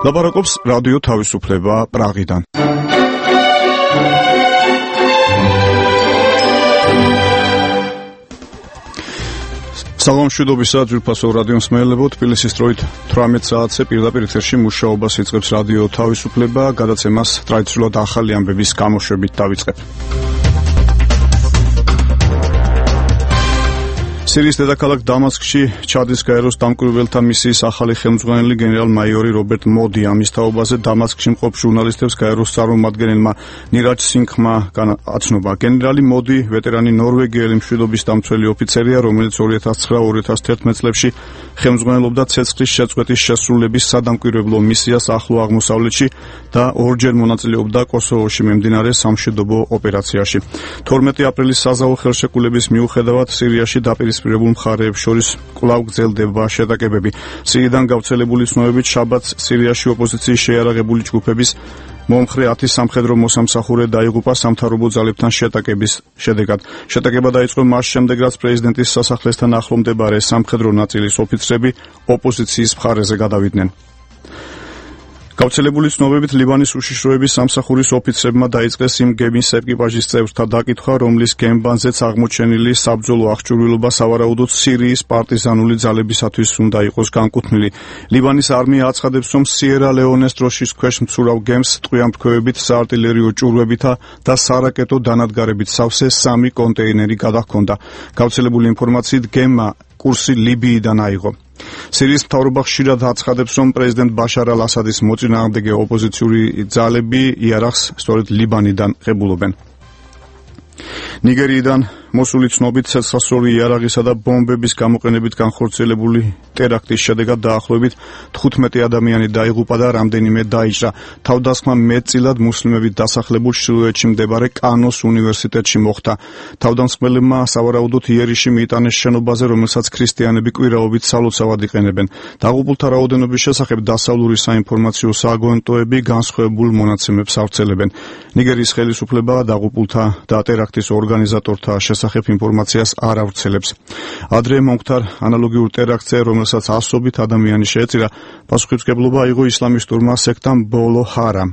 ლაპარაკობს რადიო თავისუფლება პრაღიდან. სალამ მშვიდობისა ძვირფასო რადიო მსმენელებო, თბილისის დროით 18 საათზე პირდაპირ ეთერში მუშაობას იწყებს რადიო თავისუფლება, გადაცემას ტრადიციულად ახალი ამბების გამოშვებით დავიწყებ. სირიის დედაქალაქ დამასკში ჩადის გაეროს დამკვირვებელთა მისიის ახალი ხელმძღვანელი გენერალ-მაიორი რობერტ მოდი. ამის თაობაზე დამასკში მყოფ ჟურნალისტებს გაეროს წარმომადგენელმა ნირაჯ სინგჰმა აცნობა. გენერალი მოდი ვეტერანი ნორვეგიელი მშვიდობის დამცველი ოფიცერია, რომელიც 2009-2011 წლებში ხელმძღვანელობდა ცეცხლის შეწყვეტის შესრულების სადამკვირვებლო მისიას ახლო აღმოსავლეთში და ორჯერ მონაწილეობდა კოსოვოში მიმდინარე სამშვიდობო ოპერაციაში. 12 აპრილის საზავო ხელშეკრულების მიუხედავად სირიაში დაპირისპირებულ მხარეებს შორის კვლავ გრძელდება შეტაკებები. სირიიდან გავრცელებული ცნობებით შაბათს სირიაში ოპოზიციის შეიარაღებული ჯგუფების მომხრე 10 სამხედრო მოსამსახურე დაიღუპა სამთავრობო ძალებთან შეტაკების შედეგად. შეტაკება დაიწყო მას შემდეგ, რაც პრეზიდენტის სასახლესთან ახლომდებარე სამხედრო ნაწილის ოფიცრები ოპოზიციის მხარეზე გადავიდნენ. გავრცელებული ცნობებით ლიბანის უშიშროების სამსახურის ოფიცრებმა დაიწყეს იმ გემის ეკიპაჟის წევრთა დაკითხვა, რომლის გემბანზეც აღმოჩენილი საბრძოლო აღჭურვილობა სავარაუდოდ სირიის პარტიზანული ძალებისათვის უნდა იყოს განკუთვნილი. ლიბანის არმია აცხადებს, რომ სიერა ლეონეს დროშის ქვეშ მცურავ გემს ტყვიამფრქვევებით, საარტილერიო ჭურვებითა და სარაკეტო დანადგარებით სავსე 3 კონტეინერი გადაჰქონდა. გავრცელებული ინფორმაციით გემმა კურსი ლიბიიდან აიღო. სირიის მთავრობა ხშირად აცხადებს, რომ პრეზიდენტ ბაშარ ალ-ასადის მოწინააღმდეგე ოპოზიციური ძალები იარაღს სწორედ ლიბანიდან ღებულობენ. ნიგერიიდან მოსული ცნობით ცეცხლსროლი იარაღისა და ბომბების გამოყენებით განხორციელებული ტერაქტის შედეგად დაახლოებით 15 ადამიანი დაიღუპა და რამდენიმე დაიჭრა. თავდასხმა მეტწილად მუსლიმებით დასახლებულ ჩრდილოეთში მდებარე კანოს უნივერსიტეტში მოხდა. თავდამსხმელებმა სავარაუდოდ იერიში მიიტანეს შენობაზე, რომელსაც ქრისტიანები კვირაობით სალოცავად იყენებენ. დაღუპულთა რაოდენობის შესახებ დასავლური საინფორმაციო სააგენტოები განსხვავებულ მონაცემებს ავრცელებენ. ნიგერიის ხელისუფლება დაღუპულთა და ტერაქტის ორგანიზატორთა შესახებ ინფორმაციას არ ავრცელებს. ადრე მომხდარ ანალოგიურ ტერაქტზე, რომელსაც ასობით ადამიანი შეეწირა, პასუხისმგებლობა აიღო ისლამისტურმა სექტამ ბოლო ჰარამ.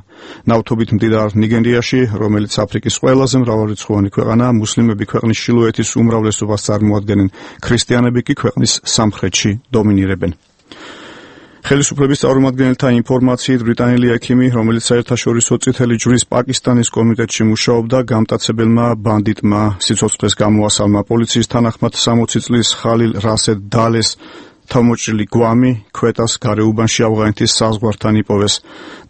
ნავთობით მდიდარ ნიგერიაში, რომელიც აფრიკის ყველაზე მრავალრიცხოვანი ქვეყანაა, მუსლიმები ქვეყნის ჩრდილოეთის უმრავლესობას წარმოადგენენ, ქრისტიანები კი ქვეყნის სამხრეთში დომინირებენ. ხელისუფლების წარმომადგენელთა ინფორმაციით ბრიტანელი ექიმი, რომელიც საერთაშორისო წითელი ჯვრის პაკისტანის კომიტეტში მუშაობდა, გამტაცებელმა ბანდიტმა სიცოცხლეს გამოასალმა. პოლიციის თანახმად 60 წლის ხალილ რასედ დალეს თავმოჭრილი გვამი ქვეტას გარეუბანში ავღანეთის საზღვართან იპოვეს.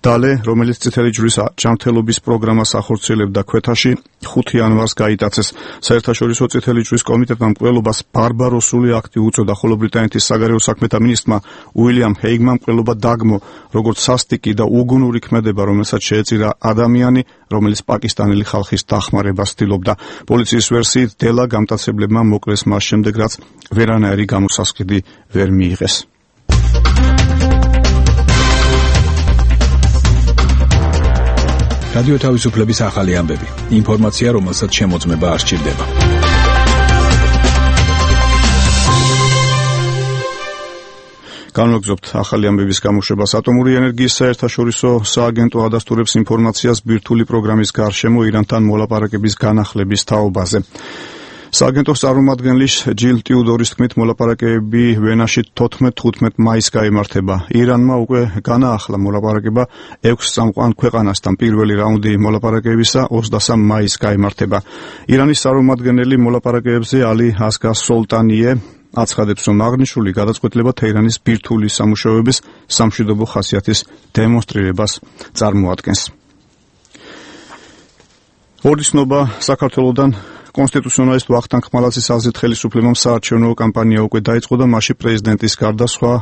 დალე, რომელიც წითელი ჯვრის ჯანმრთელობის პროგრამას ახორციელებდა ქვეთაში, 5 იანვარს გაიტაცეს. საერთაშორისო წითელი ჯვრის კომიტეტმა მკვლელობას ბარბაროსული აქტი უწოდა, ხოლო ბრიტანეთის საგარეო საქმეთა მინისტრმა უილიამ ჰეიგმა მკვლელობა დაგმო, როგორც სასტიკი და უგუნური ქმედება, რომელსაც შეეწირა ადამიანი, რომელიც პაკისტანელი ხალხის დახმარებას ცდილობდა. პოლიციის ვერსიით დელა გამტაცებლებმა მოკლეს მას შემდეგ, რაც ვერანაირი გამოსასყიდი ვერ მიიღეს. რადიო თავისუფლების ახალი ამბები. ინფორმაცია, რომელსაც შემოწმება არ სჭირდება. განვაგრძობთ ახალი ამბების გამოშვებას. ატომური ენერგიის საერთაშორისო სააგენტო ადასტურებს ინფორმაციას ბირთვული პროგრამის გარშემო ირანთან მოლაპარაკების განახლების თაობაზე. სააგენტოს წარმომადგენელი ჯილ ტიუდორის თქმით, მოლაპარაკებები ვენაში 14-15 მაისს გაიმართება. ირანმა უკვე განაახლა მოლაპარაკება 6 წამყვან ქვეყანასთან. პირველი რაუნდი მოლაპარაკებისა 23 მაისს გაიმართება. ირანის წარმომადგენელი მოლაპარაკებებზე ალი ასგარ სოლტანიე აცხადებს, რომ აღნიშნული გადაწყვეტილება თეირანის ბირთვული სამუშაოების სამშვიდობო ხასიათის დემონსტრირებას წარმოადგენს. ორი ცნობა საქართველოდან. კონსტიტუციონალისტ ვახტანგ ხმალაძის აზრით ხელისუფლებამ საარჩევნო კამპანია უკვე დაიწყო და მასში პრეზიდენტის გარდა სხვა,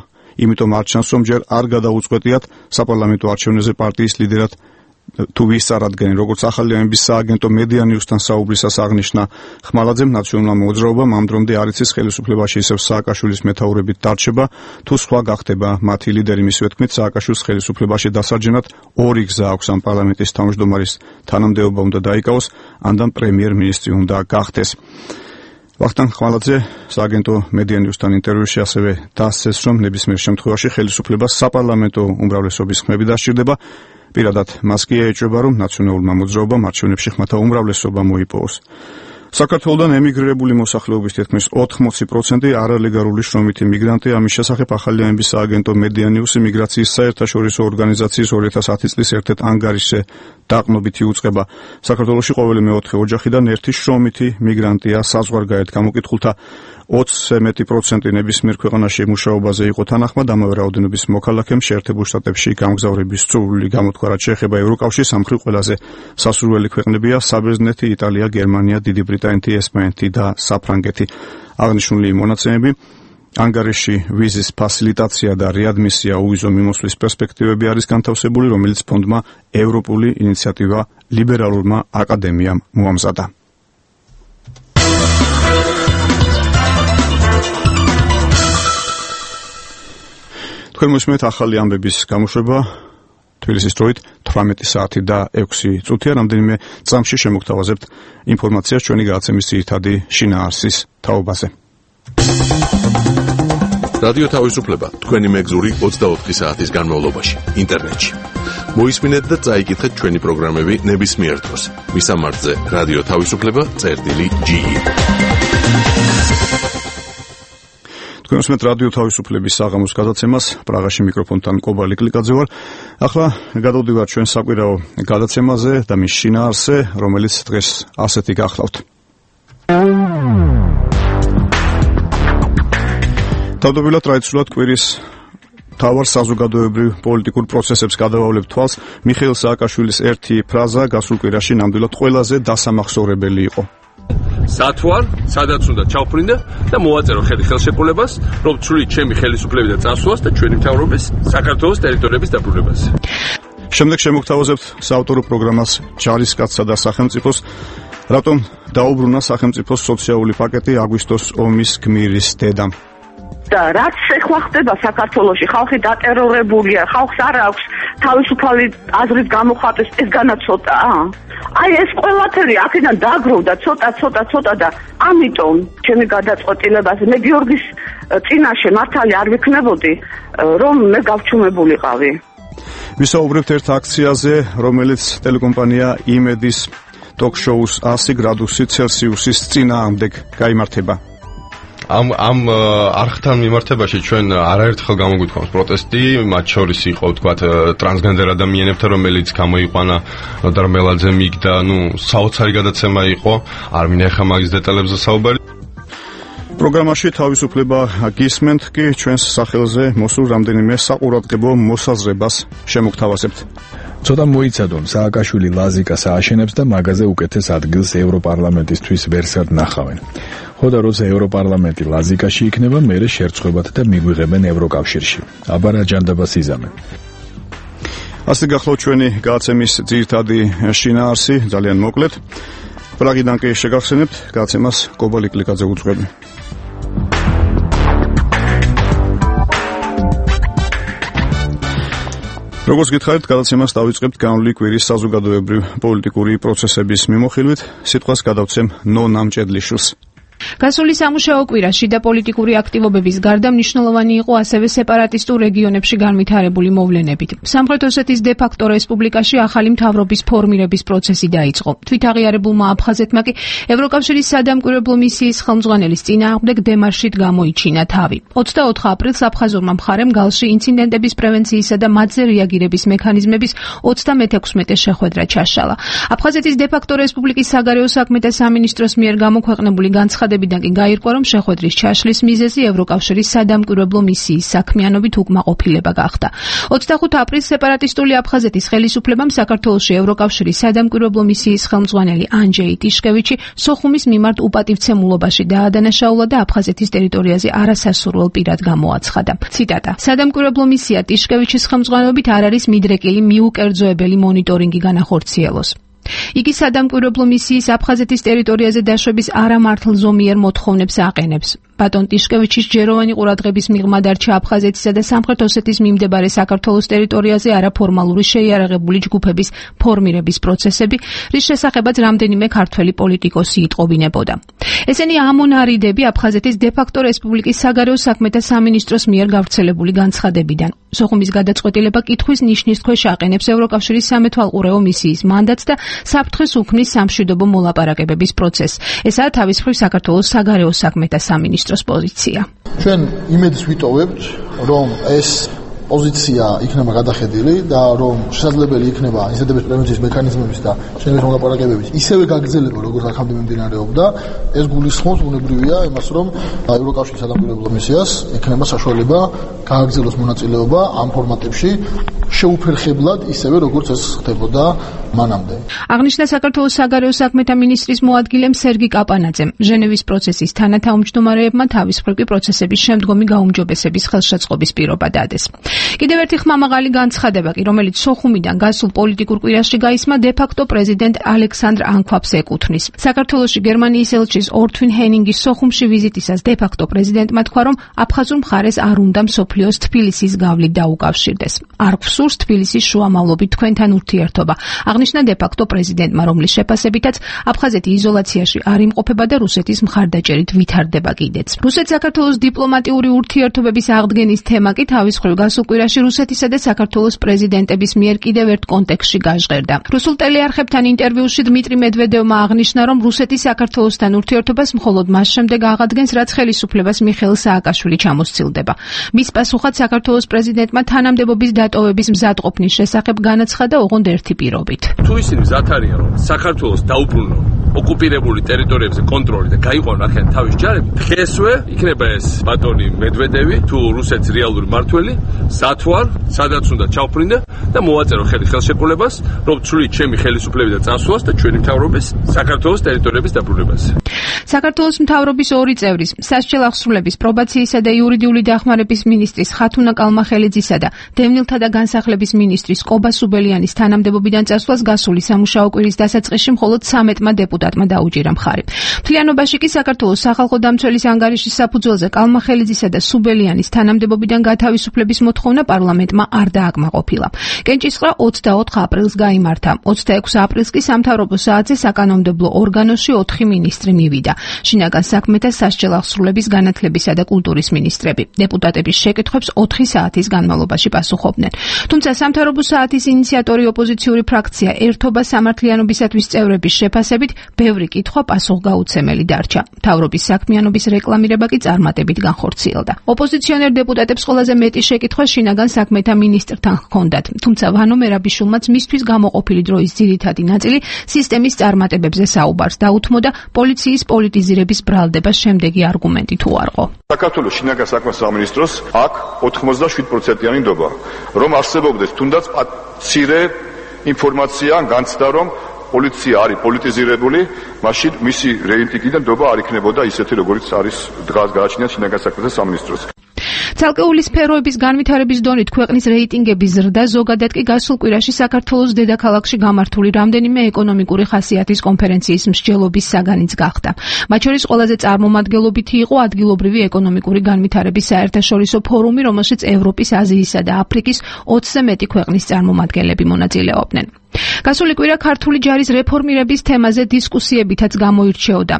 იმიტომ არ ჩანს, რომ ჯერ არ გადაუწყვეტიათ საპარლამენტო არჩევნებზე პარტიის ლიდერად თუ ვის წარადგენენ. როგორც ახალი ამბების სააგენტო მედია ნიუსთან საუბრისას აღნიშნა ხმალაძემ, ნაციონალურმა მოძრაობამ ამ დრომდე არ იცის ხელისუფლებაში ისევ სააკაშვილის მეთაურობით დარჩება თუ სხვა გახდება მათი ლიდერი. მისივე თქმით, სააკაშვილს ხელისუფლებაში დასარჯენად ორი გზა აქვს. ამ პარლამენტის თავმჯდომარის თანამდებობა უნდა დაიკავოს, ან პრემიერ-მინისტრი უნდა გახდეს. ვახტანგ ხმალაძე სააგენტო Media News-თან ინტერვიუში ასევე დასცეს, რომ ნებისმიერ შემთხვევაში ხელისუფლებას საპარლამენტო უმრავლესობის ხმები დასჭირდება. პირადად მას კი ეჭვება, რომ ნაციონალურმა მოძრაობამ არჩევნებში ხმათა უმრავლესობა მოიპოვოს. საქართველოდან ემიგრირებული მოსახლეობის თითქმის 80% არალეგალური შრომითი მიგრანტი. ამის შესახებ ახალიანების სააგენტო Media News მიგრაციის საერთაშორისო ორგანიზაციის 2010 წლის ერთ-ერთ ანგარიშზე დაყრდნობითი უწყება. საქართველოში ყოველი მეოთხე ოჯახიდან ერთი შრომითი მიგრანტია. საზღვარგარეთ გამოკითხულთა 20% ნებისმიერ ქვეყანაში მუშაობაზე იყო თანახმად. ამავე რაოდენობის მოქალაქემ შეერთებულ შტატებში გამგზავრების სრული გამოთქვარად შეეხება ევროკავშირის სამხრივ ყველაზე სასურველი ქვეყნებია საბერძნეთი, იტალია, გერმანია, დიდი ბრიტანეთი, ესპანეთი და საფრანგეთი. აღნიშნული მონაცემები ანგარიში ვიზის ფასილიტაცია და რეადმისია უვიზო მიმოსვლის პერსპექტივები არის განთავსებული, რომელიც ფონდმა ევროპული ინიციატივა ლიბერალურმა აკადემიამ მოამზადა. თქვენ მოსმენთ ახალი ამბების გამოშვება თბილისის დროით 18 საათი და 6 წუთია. რამდენიმე წამში შემოგთავაზებთ ინფორმაციას ჩვენი გადაცემის ძირითადი შინაარსის თაობაზე. რადიო თავისუფლება თქვენი მეგზური 24 საათის განმავლობაში ინტერნეტში. მოისმინეთ და წაიკითხეთ ჩვენი პროგრამები ნებისმიერ დროს. მისამართზე რადიო თავისუფლება.ge. თქვენ მოსმენთ რადიო თავისუფლების საღამოს გადაცემას. პრაღაში მიკროფონთან კობალი კლიკაძე ვარ. ახლა გადავდივართ ჩვენ საკვირაო გადაცემაზე და მის შინაარსზე, რომელიც დღეს ასეთი გახლავთ. თავდაპირველად ტრადიციულად კვირის მთავარ საზოგადოებრივ პოლიტიკურ პროცესებს გადავავლებთ თვალს. მიხეილ სააკაშვილის ერთი ფრაზა გასულ კვირაში ნამდვილად ყველაზე დასამახსოვრებელი იყო. სათვალ, სადაც უნდა ჩავფრინდა და მოვაწერო ხელი ხელშეკრულებას, რომ ცვლი ჩემი ხელისუფლების და წასვლას და ჩვენი მთავრობის საქართველოს ტერიტორიების დაბრუნებას. შემდეგ შემოგთავაზებთ საავტორო პროგრამას ჯარისკაცსა და სახელმწიფოს, რატომ დაუბრუნა სახელმწიფოს სოციალური პაკეტი აგვისტოს ომის გმირის დედამ. და რაც ეხლა ხდება საქართველოში, ხალხი დატერორებულია, ხალხს არ აქვს თავისუფალი აზრის გამოხატვის, ეს განაცოტაა. აი ეს ყველაფერი აქედან დაგროვდა ცოტა და ამიტომ ჩემი გადაწყვეტილებაზე მე გიორგის წინაშე მართალი არ ვიქნებოდი, რომ მე გავჩუმებულიყავი. ვისაუბრებთ ერთ აქციაზე, რომელიც ტელეკომპანია იმედის ტოქ-შოუს 100 გრადუსი ცელსიუსის წინააღმდეგ გაიმართება. ამ არხთან მიმართებაში ჩვენ არაერთხელ გამოგვიქვამს პროტესტი, მათ შორის იყო ვთქვათ ტრანსგენდერ ადამიანებთან, რომელიც გამოიყვანა დარმელაძე მიგდა, საოცარი გადაცემა იყო, არ მინახა მაგის დეტალებზე საუბარი. პროგრამაში თავისუფლება გისმენთ კი ჩვენს სახელზე მოსულ რამდენიმე საყურადღებო მოსაზრებას შემოგთავაზებთ. ცოტა მოიცადონ, სააკაშვილი ლაზიკას ააშენებს და მაგაზე უკეთეს ადგილს ევროპარლამენტისთვის ვერსად ნახავენ. ხო და როცა ევროპარლამენტი ლაზიკაში იქნება, მერე შერწყებათ და მიგვიღებენ ევროკავშირში. აბა რა ჯანდაბას იზამენ. ასე გახლავთ ჩვენი გადაცემის ძირითადი შინაარსი, ძალიან მოკლედ. პრაღიდან კი შეგახსენებთ გადაცემას კობალი კლიკაძე უძღვები. როგორც გითხარით, გადაცემას დავიწყებთ განვლილი კვირის საზოგადოებრივ პოლიტიკური პროცესების მიმოხილვით. სიტყვას გადავცემ ნონა მჭედლიშვილს. გასული სამუშაო კვირა შიდა პოლიტიკური აქტივობების გარდა მნიშვნელოვანი იყო ასევე სეპარატისტულ რეგიონებში განვითარებული მოვლენებით. სამხრეთ ოსეთის დე-ფაქტო რესპუბლიკაში ახალი მთავრობის ფორმირების პროცესი დაიწყო. თვითაღიარებულმა აფხაზეთმა კი ევროკავშირის სადამკვირვებლო მისიის ხელმძღვანელის წინააღმდეგ დემარშით გამოიჩინა თავი. 24 აპრილს აფხაზურმა მხარემ გალში ინციდენტების პრევენციისა და მათზე რეაგირების მექანიზმების 36 შეხვედრა ჩაშალა. აფხაზეთის დე-ფაქტო რესპუბლიკის საგარეო საქმეთა სამინისტროს მიერ გამოქვეყნებული განცხადებიდან კი გაირკვა, რომ შეხვედრის ჩაშლის მიზეზი ევროკავშირის სადამკვირვებლო მისიის საქმიანობით უკმაყოფილება გახდა. 25 აპრილს სეპარატისტული აფხაზეთის ხელისუფლებამ საქართველოში ევროკავშირის სადამკვირვებლო მისიის ხელმძღვანელი ანჯეი ტიშკევიჩი სოხუმის მიმართ უპატივცემულობაში დაადანაშაულა და აფხაზეთის ტერიტორიაზე არასასურველ პირად გამოაცხადა. ციტატა: სადამკვირვებლო მისია ტიშკევიჩის ხელმძღვანელობით არ არის მიდრეკილი მიუკერძოებელი მონიტორინგი განახორციელოს. იგი სადამკვირვებლო მისიის აფხაზეთის ტერიტორიაზე დაშვების არამართლზომიერ მოთხოვნებს აყენებს. ბატონ ტიშკევიჩის ჯეროვანი ყურადღების მიღმა დარჩა აფხაზეთისა და სამხრეთ ოსეთის მიმდებარე საქართველოს ტერიტორიაზე არაფორმალური შეიარაღებული ჯგუფების ფორმირების პროცესები, რის შესახებაც რამდენიმე ქართველი პოლიტიკოსი იტყობინებოდა. ესენი ამონარიდები აფხაზეთის დე-ფაქტო რესპუბლიკის საგარეო საქმეთა სამინისტროს მიერ გავრცელებული განცხადებიდან. სოხუმის გადაწყვეტილება კითხვის ნიშნის ქვეშ აყენებს ევროკავშირის სამეთვალყურეო მისიის მანდატს და საფრთხეს უქმნის სამშვიდობო მოლაპარაკებების პროცესს. ესაა თავის მხრივ საქართველოს საგარეო საქმეთა სამინისტროს პოზიცია. ჩვენ იმედს ვიტოვებთ, რომ ეს პოზიცია იქნება გადახედილი და რომ შესაძლებელი იქნება ინციდენტების პრევენციის მექანიზმების და შენების მოლაპარაკებების ისევე გაგრძელება, როგორც აქამდე მიმდინარეობდა. ეს გულისხმობს ბუნებრივია იმას, რომ ევროკავშირის სადამკვირვებლო მისიას ექნება საშუალება გააგრძელოს მონაწილეობა ამ ფორმატებში შეუფერხებლად, ისევე როგორც ეს ხდებოდა მანამდე. აღნიშნა საქართველოს საგარეო საქმეთა მინისტრის მოადგილემ სერგი კაპანაძემ. ჟენევის პროცესის თანათავმჯდომარეებმა თავის მხრივ პროცესების შემდგომი გაუმჯობესების ხელშეწყობის პირობა დადეს. კიდევ ერთი ხმამაღალი განცხადება კი, რომელიც სოხუმიდან გასულ პოლიტიკურ კვირაში გაისმა, დე-ფაქტო პრეზიდენტ ალექსანდრ ანქვაპს ეკუთვნის. საქართველოში გერმანიის ელჩის ორთვინ ჰენინგის სოხუმში ვიზიტისას დე-ფაქტო პრეზიდენტმა თქვა, რომ აფხაზურ მხარეს არ უნდა მსოფლიოს თბილისის გავლით დაუკავშირდეს. არ გვსურს თბილისის შუამავლობით თქვენთან ურთიერთობა. აღნიშნა დე-ფაქტო პრეზიდენტმა, რომლის შეფასებითაც აფხაზეთი იზოლაციაში არ იმყოფება და რუსეთის მხარდაჭერით ვითარდება კიდეც. რუსეთ-საქართველოს დიპლომატიური ურთიერთობების აღდგენის თემა კი თავის მხრივ გასულ კვირაში რუსეთისა და საქართველოს პრეზიდენტების მიერ კიდევ ერთ კონტექსტში გაჟღერდა. რუსულ ტელეარხებთან ინტერვიუში დმიტრი მედვედევმა აღნიშნა, რომ რუსეთი საქართველოსთან ურთიერთობას მხოლოდ მას შემდეგ აღადგენს, რაც ხელისუფლებას მიხეილ სააკაშვილი ჩამოსცილდება. მის პასუხად საქართველოს პრეზიდენტმა თანამდებობის დატოვების მზადყოფნის შესახებ განაცხადა ოღონდ ერთი პირობით. თუ ისინი მზად არიან, რომ საქართველოს დაუბრუნონ ოკუპირებული ტერიტორიებზე კონტროლი და გაიყვანონ აქედან თავის ჯარები, დღესვე იქნება ეს ბატონი მედვედევი თუ რუსეთის რეალური მმართველი სათვალ, სადაც უნდა ჩავფრინდა და მოვაწერო ხელი ხელშეკრულებას, რომ ცვლით ჩემი ხელისუფლების და წასვლას და ჩვენი მთავრობის საქართველოს ტერიტორიების დაბრუნებაზე. საქართველოს მთავრობის ორი წევრის, სასჯელ აღსრულების, პრობაციისა და იურიდიული დახმარების მინისტრის ხათუნა კალმახელიძისა და დევნილთა და განსახლების მინისტრის კობა სუბელიანის თანამდებობიდან წასვლას გასული სამუშაო კვირის დასაწყისში მხოლოდ 13-მა დეპუტატმა დაუჭირა მხარი. მთლიანობაში კი საქართველოს სახალხო დამცველის ანგარიშის საფუძველზე კალმახელიძისა და სუბელიანის თანამდებობიდან გათავისუფლების მოთხოვნა პარლამენტმა არ დააკმაყოფილა. კენჭისყრა 24 აპრილს გაიმართა. 26 აპრილს კი სამთავრობო საათზე საკანონმდებლო ორგანოში 4 მინისტრი მივიდა. შინაგან საქმეთა, სასჯელ აღსრულების, განათლებისა და კულტურის მინისტრები. დეპუტატების შეკითხვებს 4 საათის განმავლობაში პასუხობდნენ. თუმცა სამთავრობო საათის ინიციატორი ოპოზიციური ფრაქცია ერთობა სამართლიანობისათვის წევრების შეფასებით ბევრი კითხვა პასუხგაუცემელი დარჩა. მთავრობის საქმიანობის რეკლამირება კი წარმატებით განხორციელდა. ოპოზიციონერ დეპუტატებს ყველაზე მეტი შეკითხვა შინაგან საქმეთა მინისტრთან ჰქონდათ. თუმცა ვანო მერაბიშვილმაც მისთვის გამოყოფილი დროის ძირითადი ნაწილი სისტემის წარმატებებზე საუბარს დაუთმოდა, პოლიციის პოლიტიზირების ბრალდება შემდეგი არგუმენტით უარყო. საქართველოს შინაგან საქმეთა სამინისტროს აქ 87%-იანი ნდობა, რომ არსებობდეს თუნდაც მცირე ინფორმაცია ან განცდა, რომ პოლიცია არის პოლიტიზირებული, მაშინ მისი რეიტინგიდან ნდობა არ იქნებოდა ისეთი, როგორც არის დღეს გააჩნია შინაგან საქმეთა სამინისტროს. ცალკეული სფეროების განვითარების დონით ქვეყნის რეიტინგების ზრდა ზოგადად კი გასულ კვირაში საქართველოს დედაქალაქში გამართული რამდენიმე ეკონომიკური ხასიათის კონფერენციის მსჯელობის საგანიც გახდა. მათ შორის ყველაზე წარმომადგენლობითი იყო ადგილობრივი ეკონომიკური განვითარების საერთაშორისო ფორუმი, რომელშიც ევროპის, აზიისა და აფრიკის 20-ზე მეტი ქვეყნის წარმომადგენლები მონაწილეობდნენ. გასული კვირა ქართული ჯარის რეფორმირების თემაზე დისკუსიებითაც გამოირჩეოდა.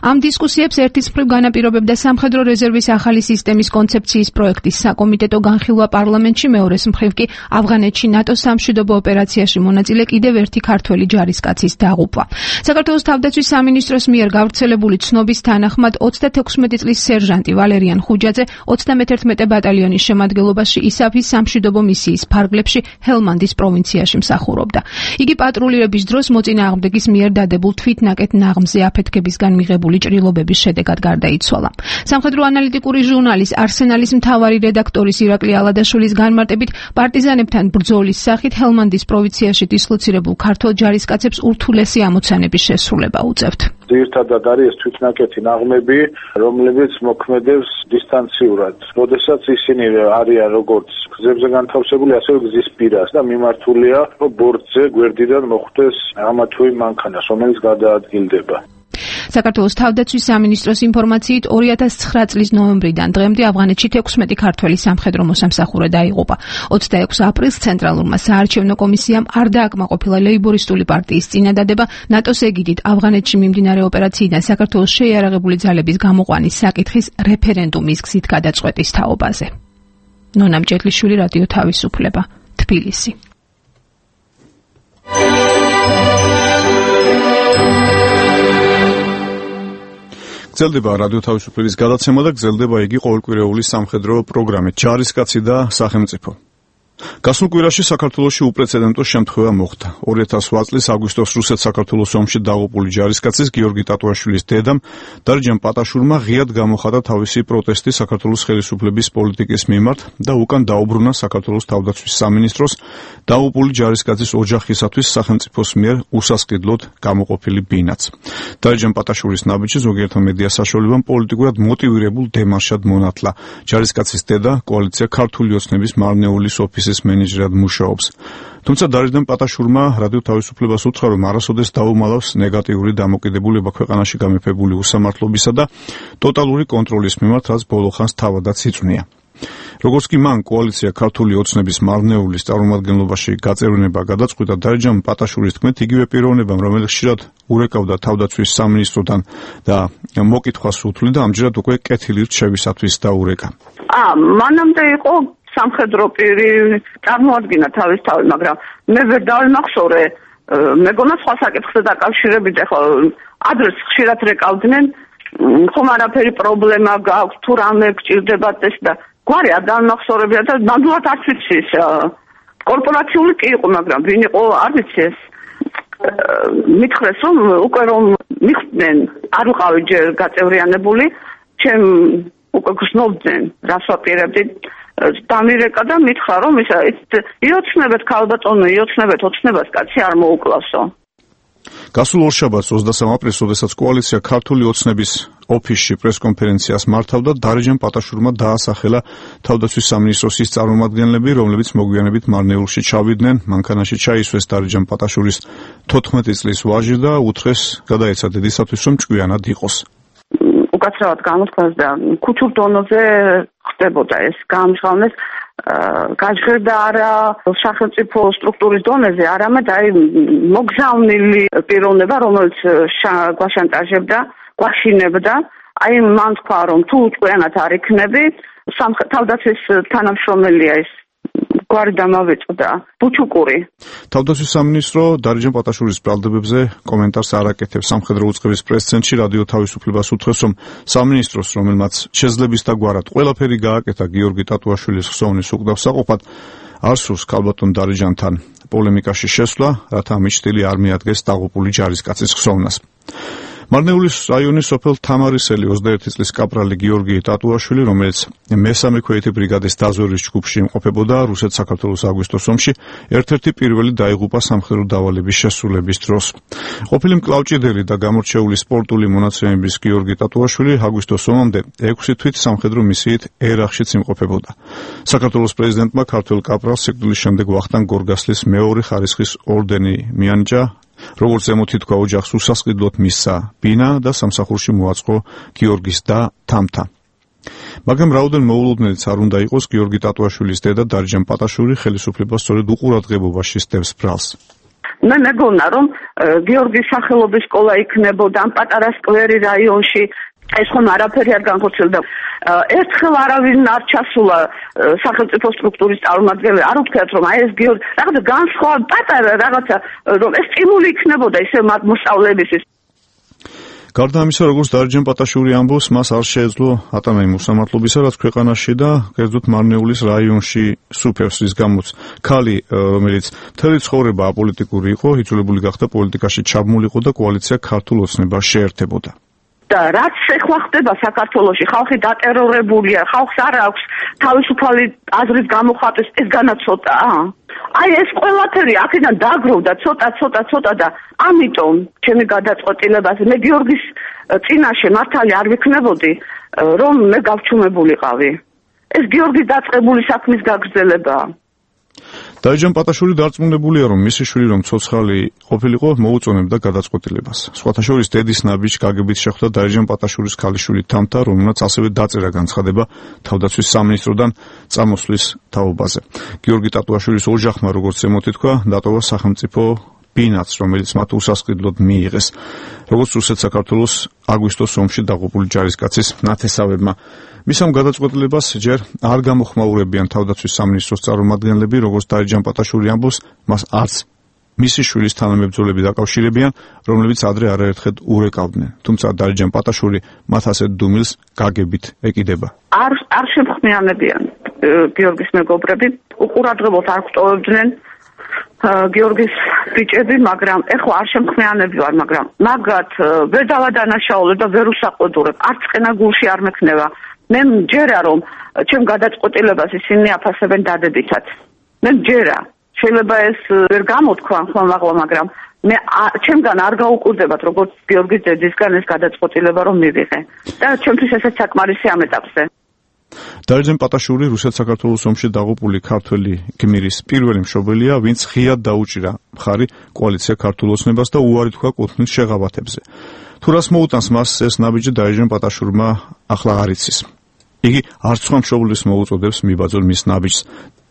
ამ დისკუსიებს ერთის მხრივ განაპირობებდა სამხედრო რეზერვის ახალი სისტემის კონცეფციის პროექტის საკომიტეტო განხილვა პარლამენტში, მეორეს მხრივ კი ავღანეთში ნატოს სამშვიდობო ოპერაციაში მონაწილე კიდევ ერთი ქართველი ჯარისკაცის დაღუპვა. საქართველოს თავდაცვის სამინისტროს მიერ გავრცელებული ცნობის თანახმად 36 წლის სერჟანტი ვალერიან ხუჯაძე 31 ბატალიონის შემადგენლობაში ისაფის სამშვიდობო მისიის ფარგლებში ჰელმანდის პროვინციაში მსახურობდა. იგი პატრულირების დროს მოწინააღმდეგის მიერ დადებულ თვითნაკეთ ნაღმზე აფეთქებისგან მიღებული ჭრილობების შედეგად გარდაიცვალა. სამხედრო ანალიტიკური ჟურნალის არსენალის მთავარი რედაქტორის ირაკლი ალადაშვილის განმარტებით, პარტიზანებთან ბრძოლის სახით ჰელმანდის პროვინციაში დისლოცირებულ ქართველ ჯარისკაცებს ურთულესი ამოცანების შესრულება უწევთ. ძირითადად არის ეს თვითნაკეთი ნაღმები, რომლებიც მოქმედებს დისტანციურად. როდესაც ისინი არიან როგორც გზებზე განთავსებული, ასევე გზის პირას და მიმართულია ბორტზე გვერდიდან მოხვდეს ამა თუ იმ მანქანას, რომელიც გადაადგილდება. საქართველოს თავდაცვის სამინისტროს ინფორმაციით 2009 წლის ნოემბრიდან დღემდე ავღანეთში 16 ქართველი სამხედრო მოსამსახურე დაიღუპა. 26 აპრილს ცენტრალურმა საარჩევნო კომისიამ არ დააკმაყოფილა ლეიბორისტული პარტიის წინადადება ნატოს ეგიდით ავღანეთში მიმდინარე ოპერაციიდან საქართველოს შეიარაღებული ძალების გამოყვანის საკითხის რეფერენდუმის გზით გადაწყვეტის თაობაზე. ნონა მჭედლიშვილი, რადიო თავისუფლება, თბილისი. გრძელდება რადიო თავისუფლების გადაცემა და გრძელდება იგი ყოველკვირეული სამხედრო პროგრამით ჯარისკაცი და სახელმწიფო. გასულ კვირაში საქართველოში უპრეცედენტო შემთხვევა მოხდა. 2008 წლის აგვისტოს რუსეთ-საქართველოს ომში დაღუპული ჯარისკაცის გიორგი ტატუაშვილის დედამ დარიჯან პატაშურმა ღიად გამოხატა თავისი პროტესტი საქართველოს ხელისუფლების პოლიტიკის მიმართ და უკან დაუბრუნა საქართველოს თავდაცვის სამინისტროს დაღუპული ჯარისკაცის ოჯახისათვის სახელმწიფოს მიერ უსასყიდლოდ გამოყოფილი ბინაც. დარიჯან პატაშურის ნაბიჯი ზოგიერთ მედია საშუალებამ პოლიტიკურად მოტივირებულ დემარშად მონათლა. ჯარისკაცის დედა კოალიცია ქართული ოცნების მარნეულის ოფისის მენეჯერად მუშაობს. თუმცა დარიჯან პატაშურმა რადიო თავისუფლებას უთხრა, რომ არასოდეს დაუმალავს ნეგატიური დამოკიდებულება ქვეყანაში გამეფებული უსამართლობისა და ტოტალური კონტროლის მიმართ, რაც ბოლო ხანს თავადაც იწვნია. როგორც კი მან კოალიცია ქართული ოცნების მარნეულის წარმომადგენლობაში გაწევრიანება გადაწყვიტა, დარიჯან პატაშურის თქმით, იგივე პიროვნებამ, რომელიც ხშირად ურეკავდა თავდაცვის სამინისტროდან და მოკითხვას უთვლიდა, ამჯერად უკვე კეთილი რჩევისათვის დაურეკა. მანამდე იყო სამხედრო პირი, წარმოადგინა თავისთავად, მაგრამ მე ვერ დავიმახსოვრე, მეგონა სხვა საკითხზე დაკავშირებით, ახლა ადრეს ხშირად რეკავდნენ, ხომ არაფერი პრობლემა გაქვს, თუ რამე გჭირდებათ ეს და გვარი არ დავიმახსოვრებია და ნამდვილად არ ვიცი ეს კორპორაციული კი იყო, მაგრამ ვინ იყო არ ვიცი ეს. მითხრეს რომ უკვე რომ მიხვდნენ, არ ვიყავი ჯერ გაწევრიანებული, ჩემ უკვე გრძნობდნენ, რას ვაპირებდი. დამირეკა და მითხრა რომ იოცნებეთ ქალბატონო, იოცნებეთ ოცნებას, კაცი არ მოუკლავსო. გასულ ორშაბათს 23 აპრილს, როდესაც კოალიცია ქართული ოცნების ოფისში პრესკონფერენციას მართავდა, დარიჯან პატაშურმა დაასახელა თავდაცვის სამინისტროს ის წარმომადგენლები, რომლებიც მოგვიანებით მარნეულში ჩავიდნენ. მანქანაში ჩაისვეს დარიჯან პატაშურის 14 წლის ვაჟი და უთხრეს გადაეცა დედისათვის, რომ ჭკვიანად იყოს. უკაცრავად გამოთქვას და ქუჩურ დონეზე ხდებოდა ეს გამჟღავნეს გაჟღერდა არა სახელმწიფო სტრუქტურის დონეზე, არამედ აი მოგზავნილი პიროვნება, რომელიც გვაშანტაჟებდა, გვაშინებდა. აი მან თქვა რომ თუ ჭკვიანად არ იქნები, თავდაცვის თანამშრომელია ეს გვარი დამავეწდა ბუჩუკური. თავდაცვის სამინისტრო დარიჯან პატაშურის ბრალდებებზე კომენტარს არ აკეთებს. სამხედრო უწყების პრეს-ცენტრში რადიო თავისუფლებას უთხრეს, რომ სამინისტროს, რომელმაც შეძლების დაგვარად ყველაფერი გააკეთა გიორგი ტატუაშვილის ხსოვნის უკდავსაყოფად, არ სურს ქალბატონ დარიჯანთან პოლემიკაში შესვლა, რათა ამიჩდილი არ მიადგეს დაღუპული ჯარისკაცის ხსოვნას. მარნეულის რაიონის სოფელ თამარისელი 21 წლის კაპრალი გიორგი ტატუაშვილი, რომელიც მესამე ქვეითი ბრიგადის დაზვერვის ჯგუფში იმყოფებოდა რუსეთ-საქართველოს აგვისტოს ომში, ერთ-ერთი პირველი დაიღუპა სამხედრო დავალების შესრულების დროს. ყოფილი მკლავჭიდელი და გამორჩეული სპორტული მონაცემების გიორგი ტატუაშვილი აგვისტოს ომამდე 6 თვით სამხედრო მისიით ერახშიც იმყოფებოდა. საქართველოს პრეზიდენტმა ქართველ კაპრალს სიკვდილის შემდეგ ვახტანგ გორგასლის მეორე ხარისხის ორდენი მიანიჭა, როგორც ზემოთი თქვა, ოჯახს უსასყიდლოდ მისცა ბინა და სამსახურში მოაწყო გიორგის და თამთა. მაგრამ რაოდენ მოულოდნელიც არ უნდა იყოს, გიორგი ტატუაშვილის დედა დარიჯან პატაშური ხელისუფლებას სწორედ უყურადღებობაში სდევს ბრალს. მე მეგონა რომ გიორგის სახელობის სკოლა იქნებოდა ამ პატარა სკვერი რაიონში, ეს ხომ არაფერი არ განხორციელდა. ერთხელ არავინ არ ჩასულა სახელმწიფო სტრუქტურის წარმომადგენელი, არ უთქვათ რომ აი ეს გიორგი რაღაცა განსხვავ პატარა რაღაცა რომ ეს სტიმული იქნებოდა ისე მათ მოსწავლეებისთვის. გარდა ამისა, როგორც დარიჯან პატაშური ამბობს, მას არ შეეძლო ატანა იმ უსამართლობისა, რაც ქვეყანაში და კერძოდ მარნეულის რაიონში სუფევს, რის გამოც ქალი, რომელიც მთელი ცხოვრება აპოლიტიკური იყო, იძულებული გახდა პოლიტიკაში ჩაბმულიყო და კოალიცია ქართულ ოცნებას შეერთებოდა. და რაც ეხლა ხდება საქართველოში, ხალხი დატერორებულია, ხალხს არ აქვს თავისუფალი აზრის გამოხატვის, ეს განაცოტაა. აი ეს ყველაფერი აქედან დაგროვდა ცოტა და ამიტომ ჩემი გადაწყვეტილებაზე მე გიორგის წინაშე მართალი არ ვიქნებოდი, რომ მე გავჩუმებულიყავი. ეს გიორგის დაწყებული საქმის გაგრძელებაა. დაიჯან პატაშური დარწმუნებულია, რომ მისი შვილი რომ ცოცხალი ყოფილიყო, მოუწონებდა გადაწყვეტილებას. სხვათა შორის დედის ნაბიჯს გაგებით შეხვდა დაიჯან პატაშურის ქალიშვილი თამთა, რომელმაც ასევე დაწერა განცხადება თავდაცვის სამინისტროდან წამოსვლის თაობაზე. გიორგი ტატუაშვილის ოჯახმა, როგორც ემოთითქვა, დატოვა სახელმწიფო ბინაც, რომელიც მათ უსასყიდლოდ მიიღეს. როგორც რუსეთ-საქართველოს აგვისტოს ომში დაღუპული ჯარისკაცის ნათესავებმა. მისამ გადაწყვეტილებას ჯერ არ გამოხმაურებიან თავდაცვის სამინისტროს წარმომადგენლები, როგორც დაიჯან პატაშური ამბობს, მას არც მისი შვილის თანამებრძოლები დაკავშირებიან, რომლებიც ადრე არაერთხელ ურეკავდნენ. თუმცა დაიჯან პატაშური მათ ასეთ დუმილს გაგებით ეკიდება. არ შემხმიანებიან გიორგის მეგობრები, უყურადღებოდ არ გვტოვებდნენ გიორგის ბიჭები, მაგრამ ეხლა არ შემხმიანებიან, მაგრამ მაგრად ვერ დავადანაშაულებ და ვერ უსაყვედურებ, არც ყენა გულში არ მექნება. მე მჯერა რომ ჩემ გადაწყვეტილებას ისინი აფასებენ დადებითად. მე მჯერა, შეიძლება ეს ვერ გამოთქვა ხოლმე, მაგრამ მე ჩემგან არ გაუკვირდებათ როგორც გიორგის დედისგან ეს გადაწყვეტილება რომ მივიღე. და ჩემთვის ესეც საკმარისი ამ ეტაპზე. დაიჯან პატაშური რუსეთ-საქართველოს ომში დაღუპული ქართველი გმირის პირველი მშობელია, ვინც ღიად დაუჭირა მხარი კოალიცია ქართულ ოცნებას და უარი თქვა კუთვნილ შეღავათებზე. თუ რას მოუტანს მას ეს ნაბიჯი დაიჯან პატაშურმა ახლა არ იცის. იგი არც სხვა მშობლის მოუწოდებს მიბაძოლ მის ნაბიჯს.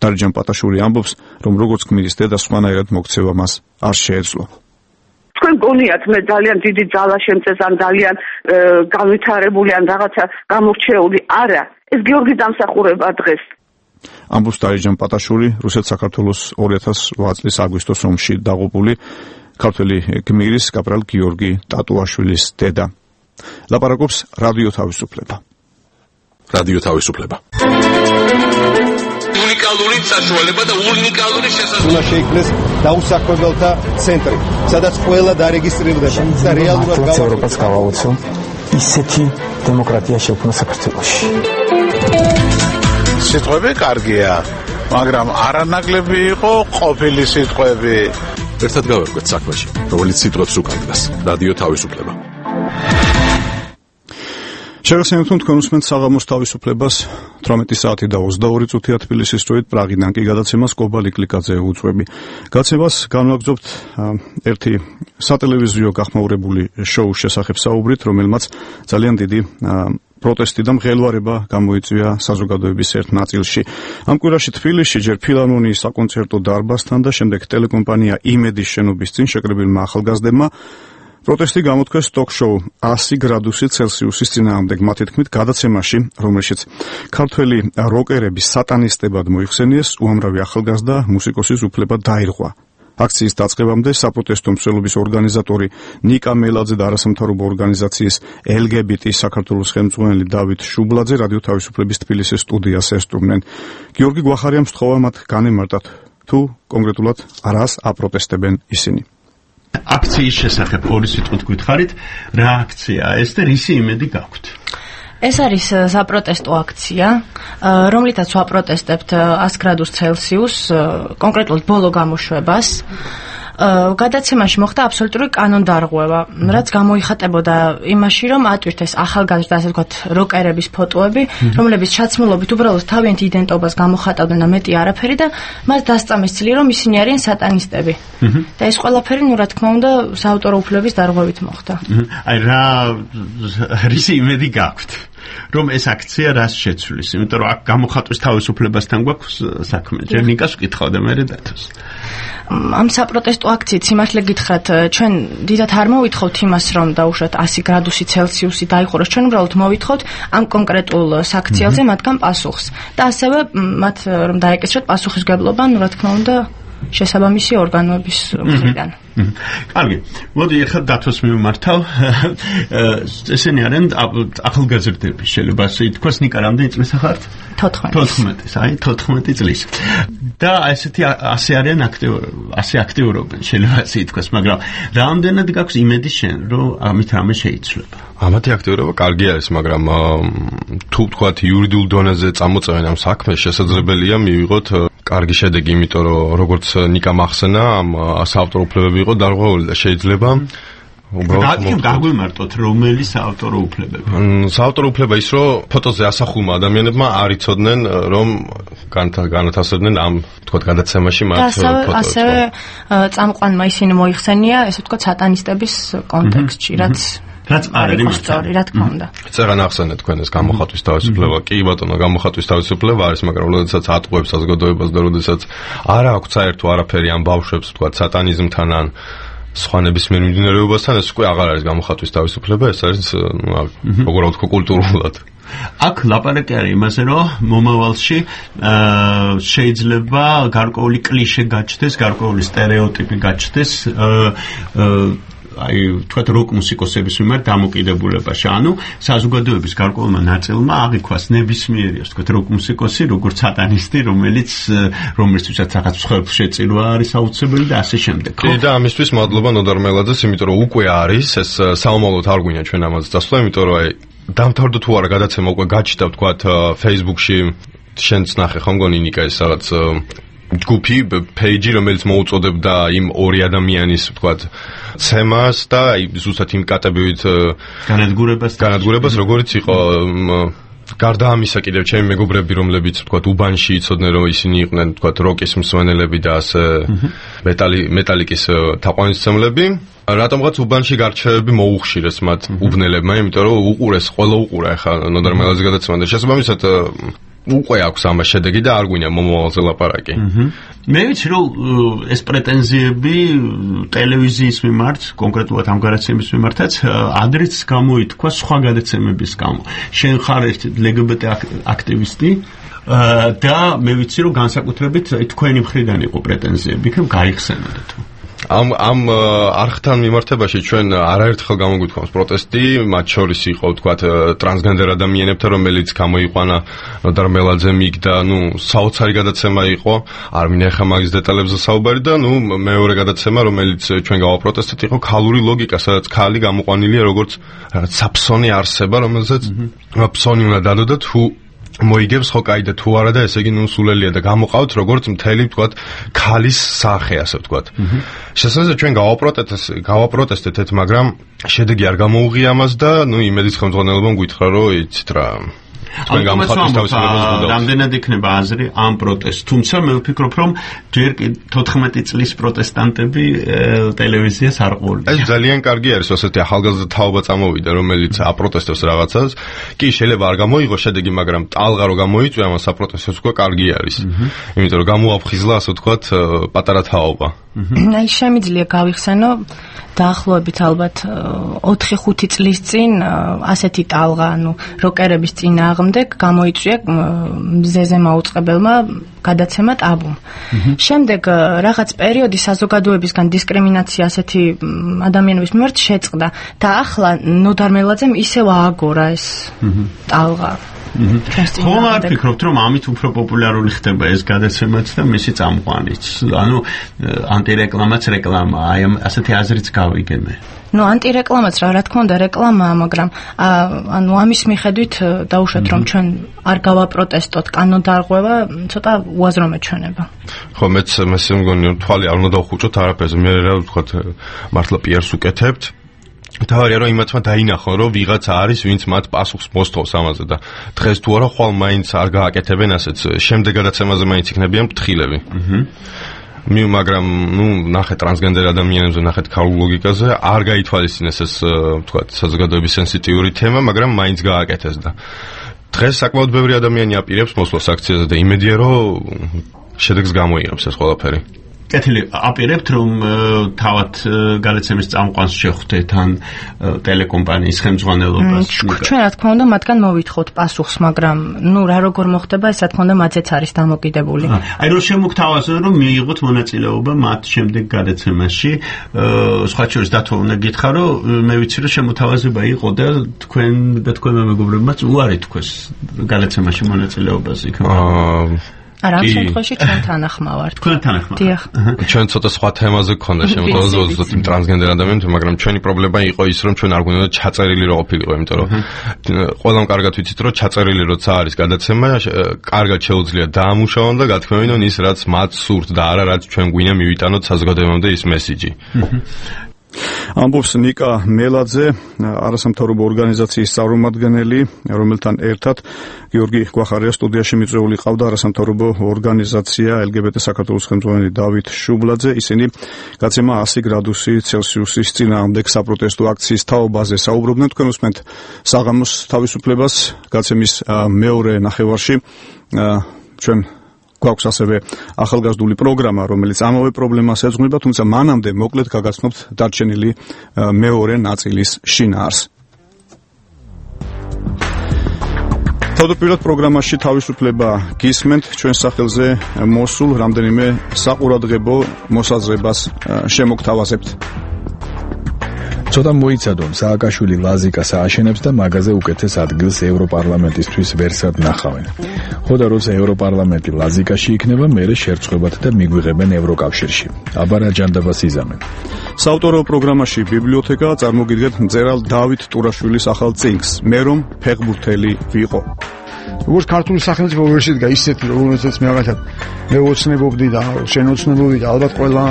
დაიჯან პატაშური ამბობს, რომ როგორც გმირის დედა სხვანაირად მოქცევა მას არ შეეძლო. თქვენ გონიათ მე ძალიან დიდი ძალა შემწეს ან ძალიან განვითარებული ან რაღაცა გამორჩეული არა, ეს გიორგის დამსახურება დღეს. ამბობს დაიჯან პატაშური, რუსეთ-საქართველოს 2008 წლის აგვისტოს ომში დაღუპული ქართველი გმირის კაპრალ გიორგი ტატუაშვილის დედა. ლაპარაკობს რადიო თავისუფლება. რადიო თავისუფლება. უნიკალური საშუალება და უნიკალური შესაძლებლობა. უნდა შეიქმნეს დაუსაქმებელთა ცენტრი, სადაც ყველა დარეგისტრირდება და რეალურად ევროპას გავაუწო ისეთი დემოკრატია შექმნა საქართველოში. სიტყვები კარგია, მაგრამ არანაკლები იყო ყოფილი სიტყვები. ერთად გავერკვეთ საქმეში, რომელიც სიტყვებს უკარგავს. რადიო თავისუფლება. შეგახსენებთ, თქვენ უსმენთ საღამოს თავისუფლებას 18 საათი და 22 წუთია თბილისის დროით, პრაღიდან კი გადაცემას კობალიკ ლიკაძე უძღვები. გაცემას განვაგრძობთ ერთი სატელევიზიო გახმაურებული შოუს შესახებ საუბრით, რომელმაც ძალიან დიდი პროტესტი და მღელვარება გამოიწვია საზოგადოების ერთ ნაწილში. ამ კვირაში თბილისში ჯერ ფილარმონიის საკონცერტო დარბაზთან და შემდეგ ტელეკომპანია იმედის შენობის წინ შეკრებილმა ახალგაზრდებმა პროტესტი გამოთქვეს ტოკ-შოუ 100 გრადუსი ცელსიუსის წინააღმდეგ, მათი თქმით გადაცემაში, რომელშიც ქართველი როკერების სატანისტებად მოიხსენიეს, უამრავი ახალგაზრდა მუსიკოსის უფლება დაირღვა. აქციის დაწყებამდე საპროტესტო მსვლელობის ორგანიზატორი ნიკა მელაძე და არასამთავრობო ორგანიზაციის LGBT საქართველოს ხელმძღვანელი დავით შუბლაძე რადიო თავისუფლების თბილისის სტუდიას ესტუმნენ. გიორგი გვახარიამ სთხოვა მათ განემარტათ, თუ კონკრეტულად რას აპროტესტებენ ისინი. აქციის შესახებ ორი სიტყვით გითხარით, რა აქციაა ეს და რისი იმედი გაქვთ? ეს არის საპროტესტო აქცია, რომლითაც ვაპროტესტებთ 100 გრადუს ცელსიუს, კონკრეტულად ბოლო გამოშვებას. გადაცემაში მოხდა აბსოლუტური კანონდარღვევა, რაც გამოიხატებოდა იმაში, რომ ატვირთეს ახალგაზრდა, ასე ვთქვათ, როკერების ფოტოები, რომლებიც ჩაცმულობით უბრალოდ თავიანთ იდენტობას გამოხატავდნენ და მეტი არაფერი და მას დასწამეს წილი, რომ ისინი არიან სატანისტები. და ეს ყველაფერი, რა თქმა უნდა, საავტორო უფლებების დარღვევით მოხდა. აი რა რისი იმედი გაქვთ? რომ ეს აქცია რას შეცვლის? იმიტომ რომ აქ გამოხატვის თავისუფლებასთან გვაქვს საქმე. ჯერ ნიკას ვკითხავ და მე დათოს. ამ საპროტესტო აქციით სიმართლე გითხრათ, ჩვენ დიდათ არ მოვითხოვთ იმას, რომ დაუშვათ 100 გრადუსი ცელსიუსი დაიხუროს. ჩვენ უბრალოდ მოვითხოვთ ამ კონკრეტულ საქციელზე მათგან პასუხს და ასევე მათ რომ დაეკისროთ პასუხისგებლობა, რა თქმა უნდა, შესაბამისი ორგანოების მხრიდან. კარგი, მოდი ახლა დათოს მივმართავ. ესენი არიან ახალგაზრდები, შეიძლება ასე ითქვას, ნიკა რამდენი წლის ახართ? 14. აი 14 წლის. და ესეთი ასე არიან ასე აქტიურობენ, შეიძლება ასე ითქვას, მაგრამ რამდენად გაქვს იმედი შენ, რომ ამით რამე შეიცვლება? ამათი აქტიურობა კარგი არის, მაგრამ თუ ვთქვათ იურიდიულ დონეზე წამოწევენ ამ საქმეს, შესაძლებელია მივიღოთ კარგი შედეგი, იმიტომ რომ როგორც ნიკა მახსენა, ამ საავტორო უფლებები იყო დარღვეული და შეიძლება უბრალოდ გაგვიმარტოთ რომელი საავტორო უფლებები. საავტორო უფლება ის რომ ფოტოზე ასახულმა ადამიანებმა არ იცოდნენ რომ განათავსებდნენ ამ თქვათ გადაცემაში მათ ფოტოებს. ასევე წამყვანმა ისინი მოიხსენია ესე ვთქვათ სატანისტების კონტექსტში რაც არის ისტორია რა თქმა უნდა. წერა ნახსენეთ თქვენ ეს გამოხატვის თავისუფლება. კი ბატონო, გამოხატვის თავისუფლება არის, მაგრამ როდესაც ატყუებს საზოგადოებას და როდესაც არ აქვს საერთო არაფერი ამ ბავშვებს თქვათ სატანიზმთან ან სხვანების მიმდინარეობასთან, ეს უკვე აღარ არის გამოხატვის თავისუფლება, ეს არის როგორ ვთქვა კულტურულად. აქ ლაპარაკი არის იმაზე, რომ მომავალში შეიძლება გარკვეული კლიშე გაჩნდეს, გარკვეული სტერეოტიპი გაჩნდეს თქვათ როკ მუსიკოსების მიმართ დამოკიდებულებაში. ანუ საზოგადოების გარკვეულმა ნაწილმა აღიქვას ნებისმიერი, ასე ვთქვათ, როკ მუსიკოსი, როგორც სატანისტი, რომელიცაც რაღაც მსხვერპლ შეწირვა არის აუცილებელი და ასე შემდეგ. კი და ამისთვის მადლობა ნოდარ მელაძეს, იმიტომ რომ უკვე არის ეს საომალოდ არ გვინდა ჩვენ ამაზე დასვლა, იმიტომ რომ დამთავრდა თუ არა გადაცემა უკვე გაჩნდა, ვთქვათ, Facebook-ში შენც ნახე ხომ გონი ნიკა ეს რაღაც ჯგუფი, პეიჯი, რომელიც მოუწოდებდა იმ ორი ადამიანის, ვთქვათ, ცემას და ზუსტად იმ კატეგორიით განადგურებას, როგორც იყო გარდა ამისა კიდევ ჩემი მეგობრები, რომლებიც ვთქვათ უბანში იცოდნენ, რომ ისინი იყვნენ, ვთქვათ, როკის მსმენელები და ასე მეტალიკის თაყვანისმცემლები. რატომღაც უბანში გარჩევები მოუხშირეს მათ უბნელებმა, იმიტომ რომ უყურეს, ყველა უყურა ახლა ნოდარ მელაძის გადაცემა და შესაბამისად უკვე აქვს ამას შედეგი და არ გვინდა მომავალზე ლაპარაკი. მე ვიცი რომ ეს პრეტენზიები ტელევიზიის მიმართ, კონკრეტულად ამ გადაცემის მიმართაც ადრეც გამოითქვა სხვა გადაცემების გამო. შენ ხარ ერთ LGBT აქტივისტი და მე ვიცი რომ განსაკუთრებით თქვენი მხრიდან იყო პრეტენზიები, იქნებ გაიხსენოთ თუ ამ არხთან მიმართებაში ჩვენ არაერთხელ გამოგვითქვამს პროტესტი, მათ შორის იყო ვთქვათ ტრანსგენდერ ადამიანებთან, რომელიც გამოიყვანა ნოდარ მელაძემ იქ და საოცარი გადაცემა იყო, არ მინახა მაგის დეტალებზე საუბარი და მეორე გადაცემა, რომელიც ჩვენ გავაპროტესტეთ, იყო ქალური ლოგიკა, სადაც ქალი გამოყვანილია როგორც რაღაც საფსონი არსება, რომელზეც ფსონი უნდა დადო და თუ მოიგებს ხო კაი და თუ არა და ესე იგი სულელია და გამოყავთ როგორც მთელი ვთქვათ ქალის სახე ასე ვთქვათ. შესაძლოა ჩვენ გავაპროტესტეთ, მაგრამ შედეგი არ გამოუღია ამას და იმედის ხელმძღვანელობამ გითხრა რომ იცით რა თქვენ გამოხატვის თავისუფლებას გუნდავს. რამდენად იქნება აზრი ამ პროტესტს, თუმცა მე ვფიქრობ რომ ჯერ 14 წლის პროტესტანტები ტელევიზიას არ ყოლია. ეს ძალიან კარგი არის, ასეთი ახალგაზრდა თაობა წამოვიდა, რომელიც აპროტესტებს რაღაცას. კი, შეიძლება არ გამოიღო შედეგი, მაგრამ ტალღა რო გამოიწვია ამას აპროტესტებს უკვე კარგი არის. იმიტომ რომ გამოაფხიზლა, ასე ვთქვათ, პატარა თაობა. აი შემიძლია გავიხსენო დაახლოებით ალბათ 4-5 წლის წინ ასეთი ტალღა, როკერების წინააღმდეგ გამოიწვია მზეზე მაუწყებელმა გადაცემა ტაბუმ. შემდეგ რაღაც პერიოდი საზოგადოებისგან დისკრიმინაცია ასეთი ადამიანების მიმართ შეწყდა და ახლა ნოდარ მელაძემ ისევ ააგორა ეს ტალღა. ხომ არ ფიქრობთ რომ ამით უფრო პოპულარული ხდება ეს გადაცემაც და მისი წამყვანიც? ანუ ანტირეკლამაც რეკლამა, აი ასეთი აზრიც გავიგე მე. ანტირეკლამაც რა თქმა უნდა რეკლამაა, მაგრამ ამის მიხედვით დაუშვათ რომ ჩვენ არ გავაპროტესტოთ, კანონდარღვევა ცოტა უაზრო მეჩვენება. ხო, მეც მგონი თვალი არ უნდა დავხუჭოთ არაფერზე, მე რა ვთქვათ, მართლა პიარს უკეთებთ. თავარია რომ იმათმა დაინახონ რომ ვიღაცა არის ვინც მათ პასუხს მოსთხოვს ამაზე და დღეს თუ არა ხვალ მაინც არ გააკეთებენ ასეც შემდეგ გადაცემაზე მაინც იქნებიან ფრთხილები. მაგრამ ნახეთ ტრანსგენდერ ადამიანებზე, ნახეთ ქალულ ლოგიკაზე არ გაითვალისწინეს ეს ვთქვათ საზოგადოების სენსიტიური თემა, მაგრამ მაინც გააკეთეს და დღეს საკმაოდ ბევრი ადამიანი აპირებს მოსვლას აქციაზე და იმედია რომ შედეგს გამოიღებს ეს ყველაფერი. კეთილი, აპირებთ რომ თავად გადაცემის წამყვანს შეხვდეთ ან ტელეკომპანიის ხელმძღვანელობას? ჩვენ რა თქმა უნდა მათგან მოვითხოვთ პასუხს, მაგრამ რა როგორ მოხდება, ეს რა თქმა უნდა მათზეც არის დამოკიდებული. აი რომ შემოგთავაზოთ რომ მიიღოთ მონაწილეობა მათ შემდეგ გადაცემაში, სხვა შორის დათო უნდა გითხრა რომ მე ვიცი რომ შემოთავაზება იყო და თქვენმა მეგობრებმაც უარი თქვეს გადაცემაში მონაწილეობას იქ. არა, ამ შემთხვევაში ჩვენ თანახმავართ. თქვენ თანახმავართ. დიახ. ჩვენ ცოტა სხვა თემაზე გქონდა შემოთავაზება იმ ტრანსგენდერ ადამიანებს, მაგრამ ჩვენი პრობლემა იყო ის, რომ ჩვენ არ გვინდა ჩაწერილი რო ყოფილიყო, იმიტომ რომ ყველამ კარგად ვიცით, რომ ჩაწერილი როცა არის გადაცემა, კარგად შეუძლია დაამუშავონ და გათქმევინონ ის, რაც მათ სურთ და არა რაც ჩვენ გვინდა მივიტანოთ საზოგადოებამდე ის მესიჯი. ამბობს ნიკა მელაძე, არასამთავრობო ორგანიზაციის წარმომადგენელი, რომელთან ერთად გიორგი გვახარია სტუდიაში მიწვეული ყავდა არასამთავრობო ორგანიზაცია LGBT საქართველოს ხელმძღვანელი დავით შუბლაძე. ისინი გაცემა 100 გრადუსი ცელსიუსის წინააღმდეგ საპროტესტო აქციის თაობაზე საუბრობდნენ. თქვენ უსმენთ საღამოს თავისუფლებას გაცემის მეორე ნახევარში. ჩვენ გვაქვს ასევე ახალგაზრდული პროგრამა, რომელიც ამავე პრობლემას ეძღვნება, თუმცა მანამდე მოკლედ გაგაცნობთ დარჩენილი მეორე ნაწილის შინაარსს. თავდაპირველად პროგრამაში თავისუფლება გისმენთ, ჩვენ სახელზე მოსულ რამდენიმე საყურადღებო მოსაზრებას შემოგთავაზებთ. ცოტა მოიცადონ, სააკაშვილი ლაზიკას ააშენებს და მაგაზე უკეთეს ადგილს ევროპარლამენტისთვის ვერსად ნახავენ. ხოდა როცა ევროპარლამენტი ლაზიკაში იქნება, მერე შერწყებათ და მიგვიღებენ ევროკავშირში. აბა რა ჯანდაბას იზამენ. საავტორო პროგრამაში ბიბლიოთეკა, წარმოგიდგენთ მწერალ დავით ტურაშვილის ახალ წიგნს, მე რომ ფეხბურთელი ვიყო. როგორც ქართული სახელმწიფო ვერ შედგა ისეთი, რომელსაც მე მაგალითად მე ოცნებობდი და შენ ოცნებობდი და ალბათ ყველა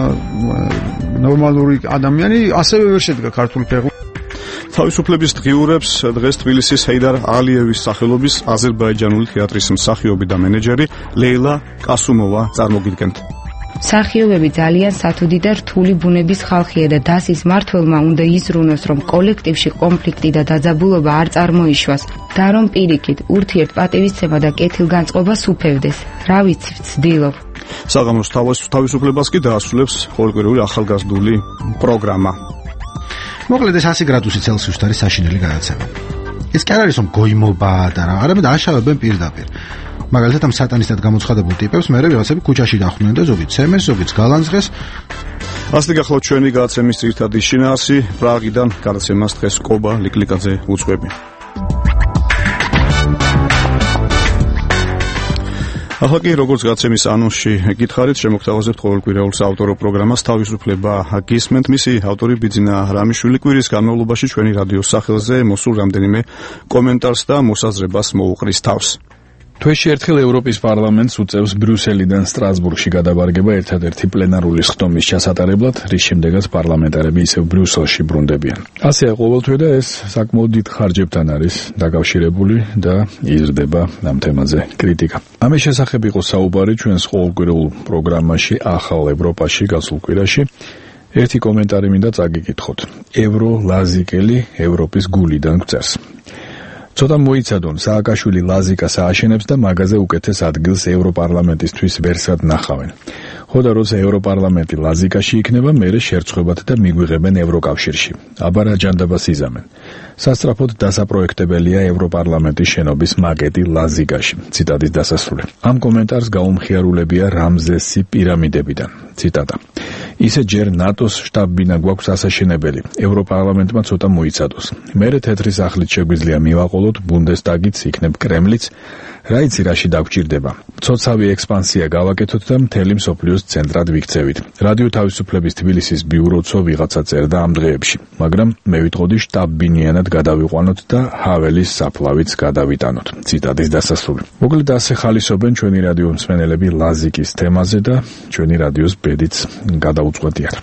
ნორმალური ადამიანი ასევე ვერ შედგა ქართული ფეხბურთი. თავისუფლების დღიურებს დღეს თბილისის ჰეიდარ ალიევის სახელობის აზერბაიჯანული თეატრის მსახიობი და მენეჯერი ლეილა კასუმოვა წარმოგიდგენთ. მსახიობები ძალიან სათუდი და რთული ბუნების ხალხია და დასის მმართველმა უნდა იზრუნოს, რომ კოლექტივში კონფლიქტი და დაძაბულობა არ წარმოიშვას და რომ პირიქით ურთიერთ პატივისცემა და კეთილგანწყობა სუფევდეს. რა ვიცი, ვცდილობ. საღამოს თავისუფლებას კი დაასრულებს ყოველკვირეული ახალგაზრდული პროგრამა. მოკლედ ეს 100 გრადუსი ცელსიუსით არის საშინელი გადაცემა. ეს კი არ არის რომ გოიმობა და რა, არამედ აშავებენ პირდაპირ. მაგალითად ამ სატანისტად გამოცხადებულ ტიპებს მერე ვიღაცები ქუჩაში დახვდნენ და ზოგი ცემეს, ზოგიც გალანძღეს. ასე გახლავთ ჩვენი გადაცემის ძირითადი შინაარსი. პრაღიდან გადაცემას დღეს კობა ლიკლიკაძე უძღვები. ახლა კი როგორც გადაცემის ანონსში გითხარით, შემოგთავაზებთ ყოველკვირეულ საავტორო პროგრამას თავისუფლება გისმენთ. მისი ავტორი ბიძინა რამიშვილი კვირის განმავლობაში ჩვენი რადიოს სახელზე მოსულ რამდენიმე კომენტარს და მოსაზრებას მოუყრის თავს. თვეში ერთხელ ევროპის პარლამენტს უწევს ბრიუსელიდან სტრასბურგში გადაბარგება ერთადერთი პლენარული ხდომის ჩასატარებლად, რის შემდეგაც პარლამენტარები ისევ ბრიუსელში ბრუნდებიან. ასეა ყოველთვე და ეს საკმაოდ დიდ ხარჯებთან არის დაკავშირებული და იზრდება ამ თემაზე კრიტიკა. ამის შესახებ იყო საუბარი ჩვენს ყოველკვირეულ პროგრამაში ახალ ევროპაში გასულ კვირაში. ერთი კომენტარი მინდა წაგიკითხოთ. ევრო ლაზიკელი ევროპის გულიდან გვწერს. ცოტა მოიცადონ, სააკაშვილი ლაზიკას ააშენებს და მაგაზე უკეთეს ადგილს ევროპარლამენტისთვის ვერსად ნახავენ. ხოდა როცა ევროპარლამენტი ლაზიკაში იქნება, მერე შერწყებათ და მიგვიღებენ ევროკავშირში. აბა რა ჯანდაბას იზამენ. სასწრაფოდ დასაპროექტებელია ევროპარლამენტის შენობის მაკეტი ლაზიკაში. ციტატის დასასრული. ამ კომენტარს გაუმხიარულებია რამზესი პირამიდებიდან. ციტატა. ისე ჯერ ნატოს შტაბ-ბინა გვაქვს ასაშენებელი. ევროპარლამენტმა ცოტა მოიცადოს. მერე თეთრი სახლით შეგვიძლია მივაყოლოთ, ბუნდესტაგიც იქნებ კრემლიც. რა იცი რაში დაგვჭირდება. ცოცავი ექსპანსია გავაკეთოთ და მთელი მსოფლიოს ცენტრად ვიქცევით. რადიო თავისუფლების თბილისის ბიუროცო ვიღაცა წერდა ამ დღეებში, მაგრამ მე ვიტყოდი შტაბ-ბინიანად გადავიყვანოთ და ჰაველის საფლავიც გადავიტანოთ. ციტატის დასასრული. მოკლედ ასე ხალისობენ ჩვენი რადიო მსმენელები ლაზიკის თემაზე და ჩვენი რადიოს ბედიც გადაუწყვეტიათ.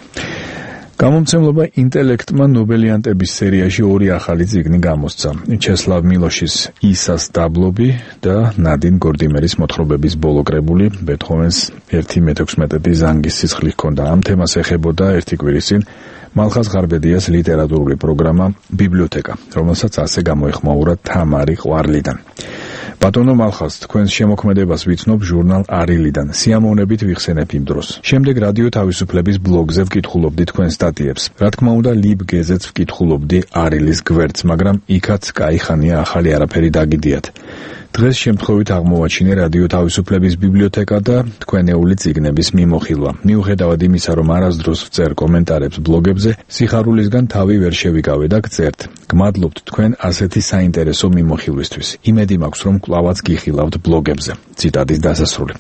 გამომცემლობა ინტელექტმა ნობელიანტების სერიაში ორი ახალი წიგნი გამოსცა. ჩესლავ მილოშის ისას დაბლობი და ნადინ გორდიმერის მოთხრობების ბოლო კრებული ბეთჰოვენს 1/16 ზანგის სისხლი ჰქონდა. ამ თემას ეხებოდა ერთი კვირის წინ მალხაზ ღარბედიას ლიტერატურული პროგრამა ბიბლიოთეკა, რომელსაც ასე გამოეხმაურა თამარი ყვარლიდან. ბატონო მალხაზ, თქვენს შემოქმედებას ვიცნობ ჟურნალ არილიდან. სიამოვნებით ვიხსენებ იმ დროს. შემდეგ რადიო თავისუფლების ბლოგზე ვკითხულობდი თქვენ სტატიებს. რა თქმა უნდა, ლიბგეზეც ვკითხულობდი არილის გვერდს, მაგრამ იქაც კაიხანია ახალი არაფერი დაგიდიათ. დღეს შემთხვევით აღმოვაჩინე რადიო თავისუფლების ბიბლიოთეკა და თქვენეული წიგნების მიმოხილვა. მიუხედავად იმისა, რომ არასდროს ვწერ კომენტარებს ბლოგებზე, სიხარულისგან თავი ვერ შევიკავე და გწერთ. გმადლობთ თქვენ ასეთი საინტერესო მიმოხილვისთვის. იმედი მაქვს, რომ კვლავაც გიხილავთ ბლოგებზე. ციტატის დასასრული.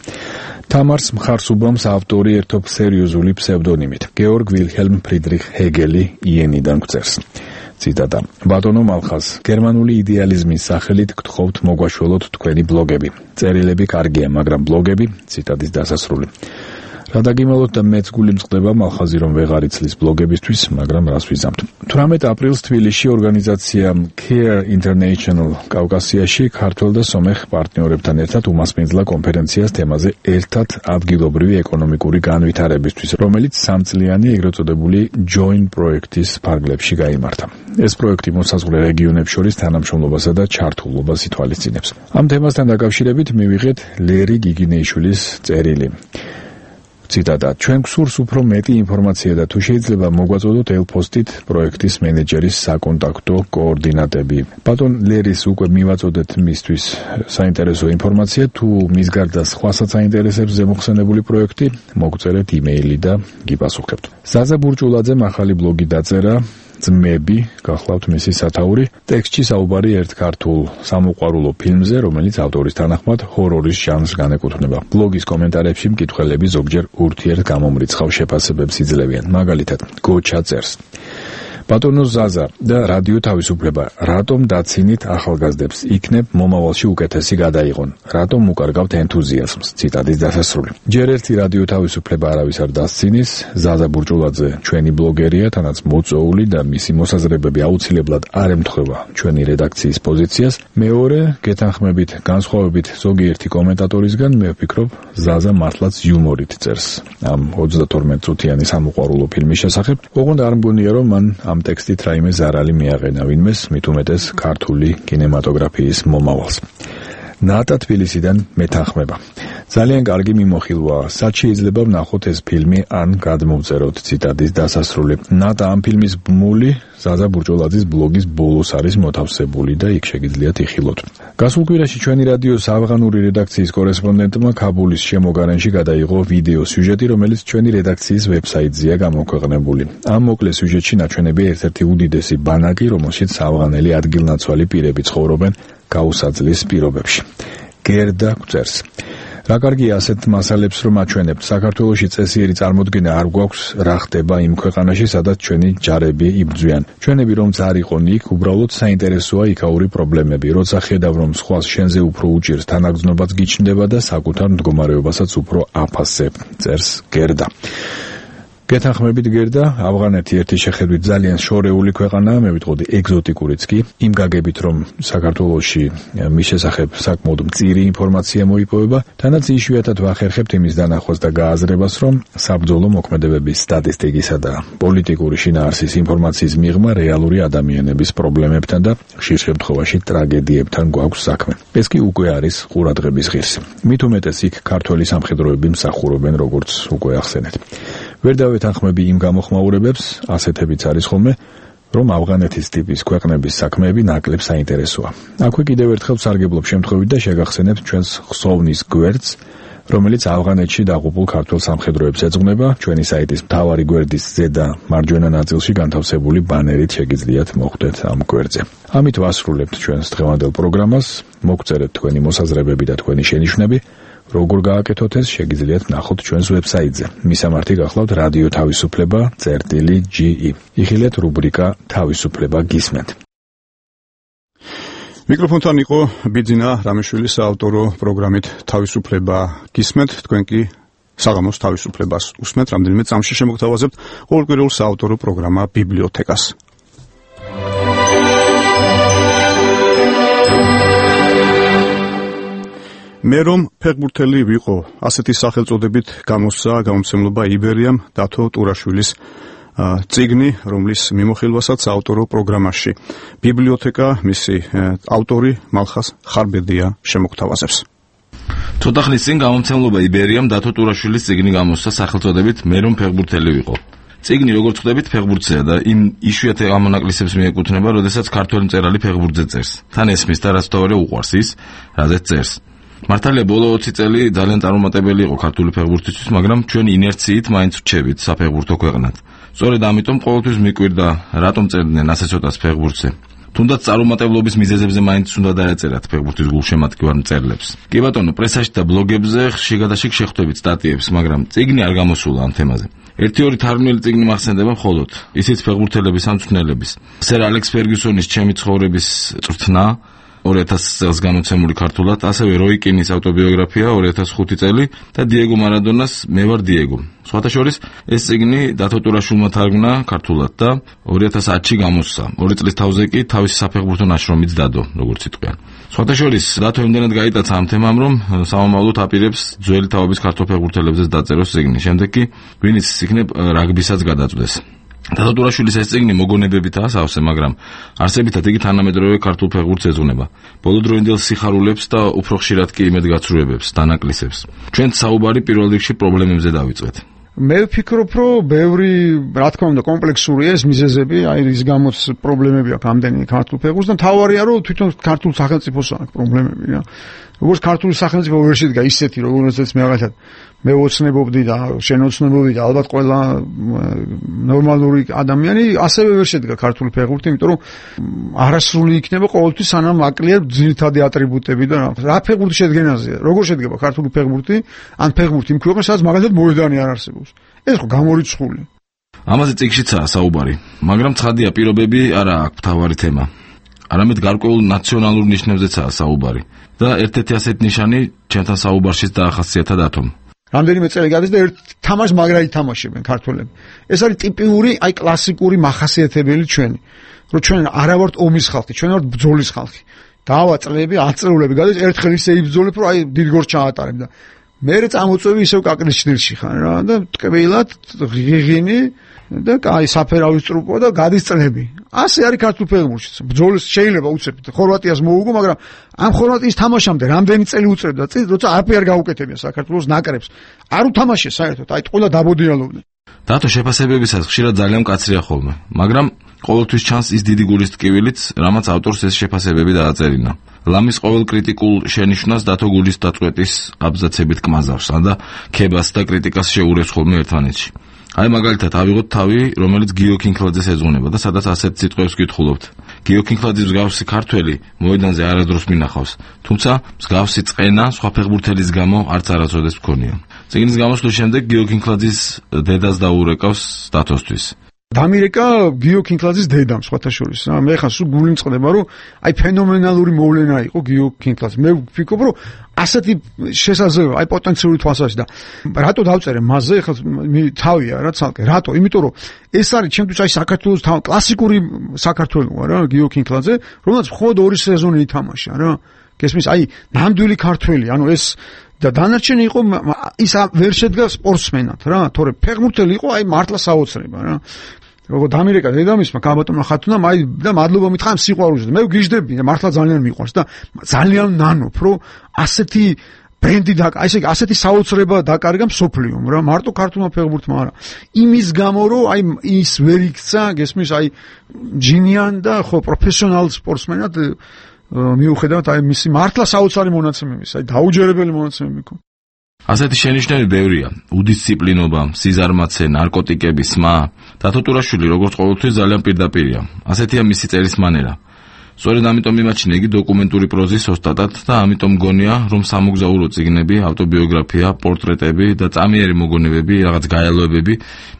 თამარს მხარს უბამს ავტორი ერთობ სერიოზული ფსევდონიმით. გეორგ ვილჰელმ ფრიდრიხ ჰეგელი იენიდან გწერს. ციტატა. ბატონო მალხაზ, გერმანული იდეალიზმის სახელით გთხოვთ მოგვაშველოთ თქვენი ბლოგები. წერილები კარგია, მაგრამ ბლოგები, ციტატის დასასრული. გადაგიმალოთ და მეც გული მწყდება მალხაზი რომ ვეღარ იცლის ბლოგებისთვის, მაგრამ რას ვიზამთ. 18 აპრილს თბილისში ორგანიზაცია Care International კავკასიაში ქართველ და სომეხ პარტნიორებთან ერთად უმასპინძლა კონფერენციას თემაზე ერთად ადგილობრივი ეკონომიკური განვითარებისთვის, რომელიც 3 წლიანი ეგრეთ წოდებული Join პროექტის ფარგლებში გაიმართა. ეს პროექტი მოსაზღვრე რეგიონებს შორის თანამშრომლობასა და ჩართულობას ითვალისწინებს. ამ თემასთან დაკავშირებით მივიღეთ ლერი გიგინეიშვილის წერილი. ციტატა: ჩვენ გვსურს უფრო მეტი ინფორმაცია და თუ შეიძლება მოგვაწოდოთ ელფოსტით პროექტის მენეჯერის საკონტაქტო კოორდინატები. ბატონ ლერის უკვე მივაწოდეთ მისთვის საინტერესო ინფორმაცია, თუ მის გარდა სხვასაც აინტერესებს ზემოხსენებული პროექტი, მოგწერეთ იმეილი და გიპასუხებთ. ზაზა ბურჭულაძემ ახალი ბლოგი დაწერა. ძმები, გახლავთ მისი სათაური. ტექსტში საუბარი ერთ ქართულ სამოყვარულო ფილმზე, რომელიც ავტორის თანახმად ჰორორის ჟანრს განეკუთვნება. ბლოგის კომენტარებში მკითხველები ზოგჯერ ურთიერთგამომრიცხავ შეფასებებს იძლევიან. მაგალითად, გოჩა წერს: ბატონო ზაზა და რადიო თავისუფლება, რატომ დაცინით ახალგაზრდებს? იქნებ მომავალში უკეთესი გადაიღონ. რატომ უკარგავთ ენთუზიაზმს? ციტატის დასასრული. ჯერ ერთი რადიო თავისუფლება არავის არ დასცინის. ზაზა ბურჭულაძე ჩვენი ბლოგერია, თანაც მოწვეული და მისი მოსაზრებები აუცილებლად არ ემთხვევა ჩვენი რედაქციის პოზიციას. მეორე, გეთანხმებით, განსხვავებით ზოგიერთი კომენტატორისგან, მე ვფიქრობ, ზაზა მართლაც იუმორით წერს ამ 32 წუთიანი სამოყვარულო ფილმის შესახებ. ოღონდ არ მგონია რომ მან ამ ტექსტით რაიმე ზარალი მიაყენა ვინმეს, მით უმეტეს ქართული კინემატოგრაფიის მომავალს. ნატა თბილისიდან მეთანხმება. ძალიან კარგი მიმოხილვაა. სად შეიძლება ვნახოთ ეს ფილმი ან გადმოვწეროთ? ციტატის დასასრული. ნატა ამ ფილმის ბმული ზაზა ბურჭულაძის ბლოგის ბოლოს არის მოთავსებული და იქ შეგიძლიათ იხილოთ. გასულ კვირაში ჩვენი რადიოს ავღანური რედაქციის კორესპონდენტმა ქაბულის შემოგარენში გადაიღო ვიდეო სიუჟეტი, რომელიც ჩვენი რედაქციის ვებსაიტზეა გამოქვეყნებული. ამ მოკლე სიუჟეტში ნაჩვენებია ერთ-ერთი უდიდესი ბანაკი, რომელშიც ავღანელი ადგილნაცვალი პირები ცხოვრობენ გაუსაძლის პირობებში. გერდა გვწერს: რა კარგია ასეთ მასალებს რომ აჩვენებთ. საქართველოში წესიერი წარმოდგენა არ გვაქვს რა ხდება იმ ქვეყანაში, სადაც ჩვენი ჯარები იბრძვიან. ჩვენები რომც არ იყონ იქ, უბრალოდ საინტერესოა იქაური პრობლემები. როცა ხედავ რომ სხვას შენზე უფრო უჭირს, თანაგრძნობაც გიჩნდება და საკუთარ მდგომარეობასაც უფრო აფასებ. წერს გერდა. გეთანხმებით გერდა, ავღანეთი ერთი შეხედვით ძალიან შორეული ქვეყანაა, მე ვიტყოდი ეგზოტიკურიც კი, იმ გაგებით რომ საქართველოში მის შესახებ საკმაოდ მწირი ინფორმაცია მოიპოვება, თანაც იშვიათად ვახერხებთ იმის დანახვას და გააზრებას, რომ საბრძოლო მოქმედებების სტატისტიკისა და პოლიტიკური შინაარსის ინფორმაციის მიღმა რეალური ადამიანების პრობლემებთან და ხშირ შემთხვევაში ტრაგედიებთან გვაქვს საქმე. ეს კი უკვე არის ყურადღების ღირსი. მით უმეტეს იქ ქართველი სამხედროები მსახურობენ, როგორც უკვე ახსენეთ. ვერ დავეთანხმები იმ გამოხმაურებებს, ასეთებიც არის ხოლმე, რომ ავღანეთის ტიპის ქვეყნების საქმეები ნაკლებ საინტერესოა. აქვე კიდევ ერთხელ სარგებლობ შემთხვევით და შეგახსენებთ ჩვენს ხსოვნის გვერდს, რომელიც ავღანეთში დაღუპულ ქართველ სამხედროებს ეძღვნება. ჩვენი საიტის მთავარი გვერდის ზედა მარჯვენა ნაწილში განთავსებული ბანერით შეგიძლიათ მოხვდეთ ამ გვერდზე. ამით ვასრულებთ ჩვენს დღევანდელ პროგრამას. მოგწერეთ თქვენი მოსაზრებები და თქვენი შენიშვნები. როგორ გააკეთოთ ეს, შეგიძლიათ ნახოთ ჩვენს ვებსაიტზე. მისამართი გახლავთ რადიო თავისუფლება წერტილი.ge. იხილეთ რუბრიკა თავისუფლება გისმენთ. მიკროფონთან იყო ბიძინა რამიშვილის საავტორო პროგრამით თავისუფლება გისმენთ. თქვენ კი საღამოს თავისუფლებას უსმენთ. რამდენიმე წამში შემოგთავაზებთ ყოველკვირეულ საავტორო პროგრამა ბიბლიოთეკას. მე რომ ფეხბურთელი ვიყო, ასეთი სახელწოდებით გამოსცა გამომცემლობა იბერიამ დათო ტურაშვილის წიგნი, რომლის მიმოხილვასაც ავტორო პროგრამაში ბიბლიოთეკა მისი ავტორი მალხაზ ხარბედია შემოგთავაზებს. ცოტა ხნის წინ გამომცემლობა იბერიამ დათო ტურაშვილის წიგნი გამოსცა სახელწოდებით მე რომ ფეხბურთელი ვიყო. წიგნი როგორც ხვდებით ფეხბურთზეა და იმ იშვიათ ამონაკლისებს მიეკუთვნება, როდესაც ქართველი მწერალი ფეხბურთზე წერს. თან ესმის და რაც თავარი უყვარს ის, რაზეც წერს. მართალია ბოლო 20 წელი ძალიან წარუმატებელი იყო ქართული ფეხბურთისთვის, მაგრამ ჩვენ ინერციით მაინც ვრჩებით საფეხბურთო ქვეყნად. სწორედ ამიტომ ყოველთვის მიკვირდა, რატომ წერდნენ ასე ცოტას ფეხბურთზე. თუნდაც წარუმატებლობის მიზეზებზე მაინც უნდა დაეწერათ ფეხბურთის გულშემატკივარ მწერლებს. კი ბატონო, პრესაში და ბლოგებზე ხშირ-გადაშიგ შეხვდებით სტატიებს, მაგრამ წიგნი არ გამოსულა ამ თემაზე. ერთი-ორი თარგმნილი წიგნი მახსენდება მხოლოდ, ისიც ფეხბურთელების ამწვრთნელების. სერ ალექს ფერგიუსონის ჩემი ცხოვრების წვრთნა, 2000 წელს გამოცემული ქართულად, ასევე როი კინის ავტობიოგრაფია 2005 წელი და დიეგო მარადონას მე ვარ დიეგო. სხვათა შორის ეს წიგნი დათო ტურაშვილმა თარგმნა ქართულად და 2010-ში გამოსცა. 2 წლის თავზე კი თავისი საფეხბურთო ნაშრომიც დადო, როგორც იტყვიან. სხვათა შორის დათო იმდენად გაიტაცა ამ თემამ, რომ სამომავლოდ აპირებს ძველი თაობის ქართულ ფეხბურთელებზეც დაწეროს წიგნი. შემდეგ კი ვინც იქნებ რაგბისაც გადაწყვეტს. დათო ტურაშვილის ეს წიგნი მოგონებებითაა სავსე, მაგრამ არსებითად იგი თანამედროვე ქართულ ფეხბურთს ეძღვნება. ბოლოდროინდელ სიხარულებს და უფრო ხშირად კი იმედგაცრუებებს, დანაკლისებს. ჩვენც საუბარი პირველ რიგში პრობლემებზე დავიწყეთ. მე ვფიქრობ, რომ ბევრი, რა თქმა უნდა, კომპლექსურია ეს მიზეზები, აი რის გამოც პრობლემები აქვს ამდენი ქართულ ფეხბურთს და მთავარია, რომ თვითონ ქართულ სახელმწიფოს აქვს პრობლემები, რა. როგორც ქართული სახელმწიფო ვერ შედგა ისეთი, როგორცაც მე რაღაცა მე ვოცნებობდი და შენოცნობდი და ალბათ ყველა ნორმალური ადამიანი ასევე ვერ შედგა ქართული ფეხბურთი, იმიტომ რომ არასრული იქნება ყოველთვის სანამ აკლია ძირითადი ატრიბუტები და რა ფეხბურთი შედგენაზეა. როგორ შედგება ქართული ფეხბურთი? ან ფეხბურთი იმ ქვეყანაში, სადაც მაგალითად მოედანი არ არსებობს. ეს ხო გამორიცხული. ამაზე წიგნშიცაა საუბარი, მაგრამ ცხადია პირობები არა აქვს მთავარი თემა. არამედ გარკვეულ ნაციონალურ ნიშნებზეცაა საუბარი და ერთ-ერთი ასეთი ნიშანი ჩემთან საუბარშიც დაახასიათა დათომ. რამდენიმე წელი გადის და ერთ თამაშს მაგრა ითამაშებენ ქართველები. ეს არის ტიპიური, აი კლასიკური მახასიათებელი ჩვენი. რომ ჩვენ არა ვართ ომის ხალხი, ჩვენ ვართ ბრძოლის ხალხი. დავაწყლები, აწეულები გადის, ერთხელ ისე იბრძოლებ, რომ აი დიდგორს ჩაატარებ და მერე წამოწევი ისევ კაკლის ჭრილში ხარ რა და ტკბილად ღიღინი და აი საფერავის ტრუპო და გადის წლები. ასე არის ქართულ ფეხბურთშიც. ბრძოლის შეიძლება უწევთ ხორვატიას მოუგო, მაგრამ ამ ხორვატიის თამაშამდე რამდენი წელი უწევდა წინ, როცა არაფერი არ გაუკეთებია საქართველოს ნაკრებს. არ უთამაშეს საერთოდ, აი ყველა დაბოდიალობდნენ. დათო შეფასებებისას ხშირად ძალიან მკაცრია ხოლმე, მაგრამ ყოველთვის ჩანს ის დიდი გულის ტკივილიც, რამაც ავტორს ეს შეფასებები დააწერინა. ლამის ყოველ კრიტიკულ შენიშვნას დათო გულის დაწყვეტის აბზაცებით კმაზავს და ქებას და კრიტიკას შეურევს ხოლმე ერთმანეთში. აი მაგალითად ავიღოთ თავი, რომელიც გიო კინკლაძეს ეძღვნება და სადაც ასეთ სიტყვებს გითხულობთ. გიო კინკლაძის მსგავსი ქართველი მოედანზე არასდროს მინახავს, თუმცა მსგავსი წყენა სხვა ფეხბურთელის გამო არც არასოდეს მქონია. წიგნის გამოსვლის შემდეგ გიო კინკლაძის დედას დაურეკავს დათოსთვის. დამირეკა გიო კინკლაძის დედამ სხვათა შორის. მე ხან სულ გული მწყდება, რომ აი ფენომენალური მოვლენა იყო გიო კინკლაძე. მე ვფიქრობ, რომ ასეთი შესაძლებლობა, აი პოტენციური თვალსაზრისით და რატო დავწერე მასზე, ხა თავია რა ცალკე. რატო? იმიტომ რომ ეს არის ჩემთვის აი საქართველოს კლასიკური საქართველოა რა, გიო კინკლაძე, რომელსაც მხოლოდ 2 სეზონი ითამაშა რა. გესმის, აი ნამდვილი ქართველი, ანუ ეს და დანარჩენი იყო ის ვერ შედგა სპორტსმენად რა, თორე ფეხბურთელი იყო აი მართლა საოცრება რა. როგორ დამირეკა დედამისმა კაბატონმა ხათუნამ აი და მადლობა მითხრა სიყვარულზე. მე ვგიჟდები და მართლა ძალიან მიყვარს და ძალიან ნანობ, რომ ასეთი ბრენდი და ასეთი საოცრება დაკარგა მსოფლიომ რა, მარტო ქართულმა ფეხბურთმა არა. იმის გამო რომ აი ის ვერ იქცა, გესმის, აი ჯინიან და ხო პროფესიონალ სპორტსმენად მიუხედავად აი მისი მართლა საოცარი მონაცემების, აი დაუჯერებელი მონაცემები იყო. ასეთი შენიშვნები ბევრია: უდისციპლინობა, სიზარმაცე, ნარკოტიკები, სმა. დათო ტურაშვილი როგორც ყოველთვის ძალიან პირდაპირია. ასეთია მისი წერის მანერა. სწორედ ამიტომ მიმაჩნია იგი დოკუმენტური პროზის ოსტატად და ამიტომ მგონია, რომ სამოგზაურო წიგნები, ავტობიოგრაფია, პორტრეტები და წამიერი მოგონებები, რაღაც გაელოებები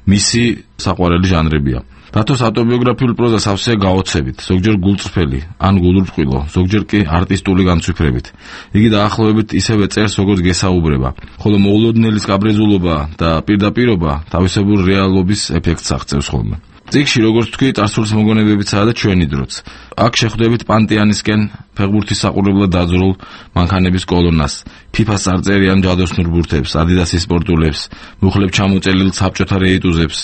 მისი საყვარელი ჟანრებია. დათოს ავტობიოგრაფიულ პროზას ავსეა გაოცებით, ზოგჯერ გულწრფელი, ან გულურწყვილო, ზოგჯერ კი არტისტული განცვიფრებით. იგი დაახლოებით ისევე წერს, როგორც გესაუბრება, ხოლო მოულოდნელი სკაბრეზულობა და პირდაპირობა თავისებურ რეალობის ეფექტს აღწევს ხოლმე. წიგნში, როგორც თქვი, წარსულის მოგონებებიცაა და ჩვენი დროც. აქ შეხვდებით პანტეანისკენ ფეხბურთის საყურებლად დაძრულ მანქანების კოლონას, ფიფას წარწერიან ჯადოსნურ ბურთებს, ადიდასის სპორტულებს, მუხლებ ჩამოწელილ საბჭოთა რეიტუზებს,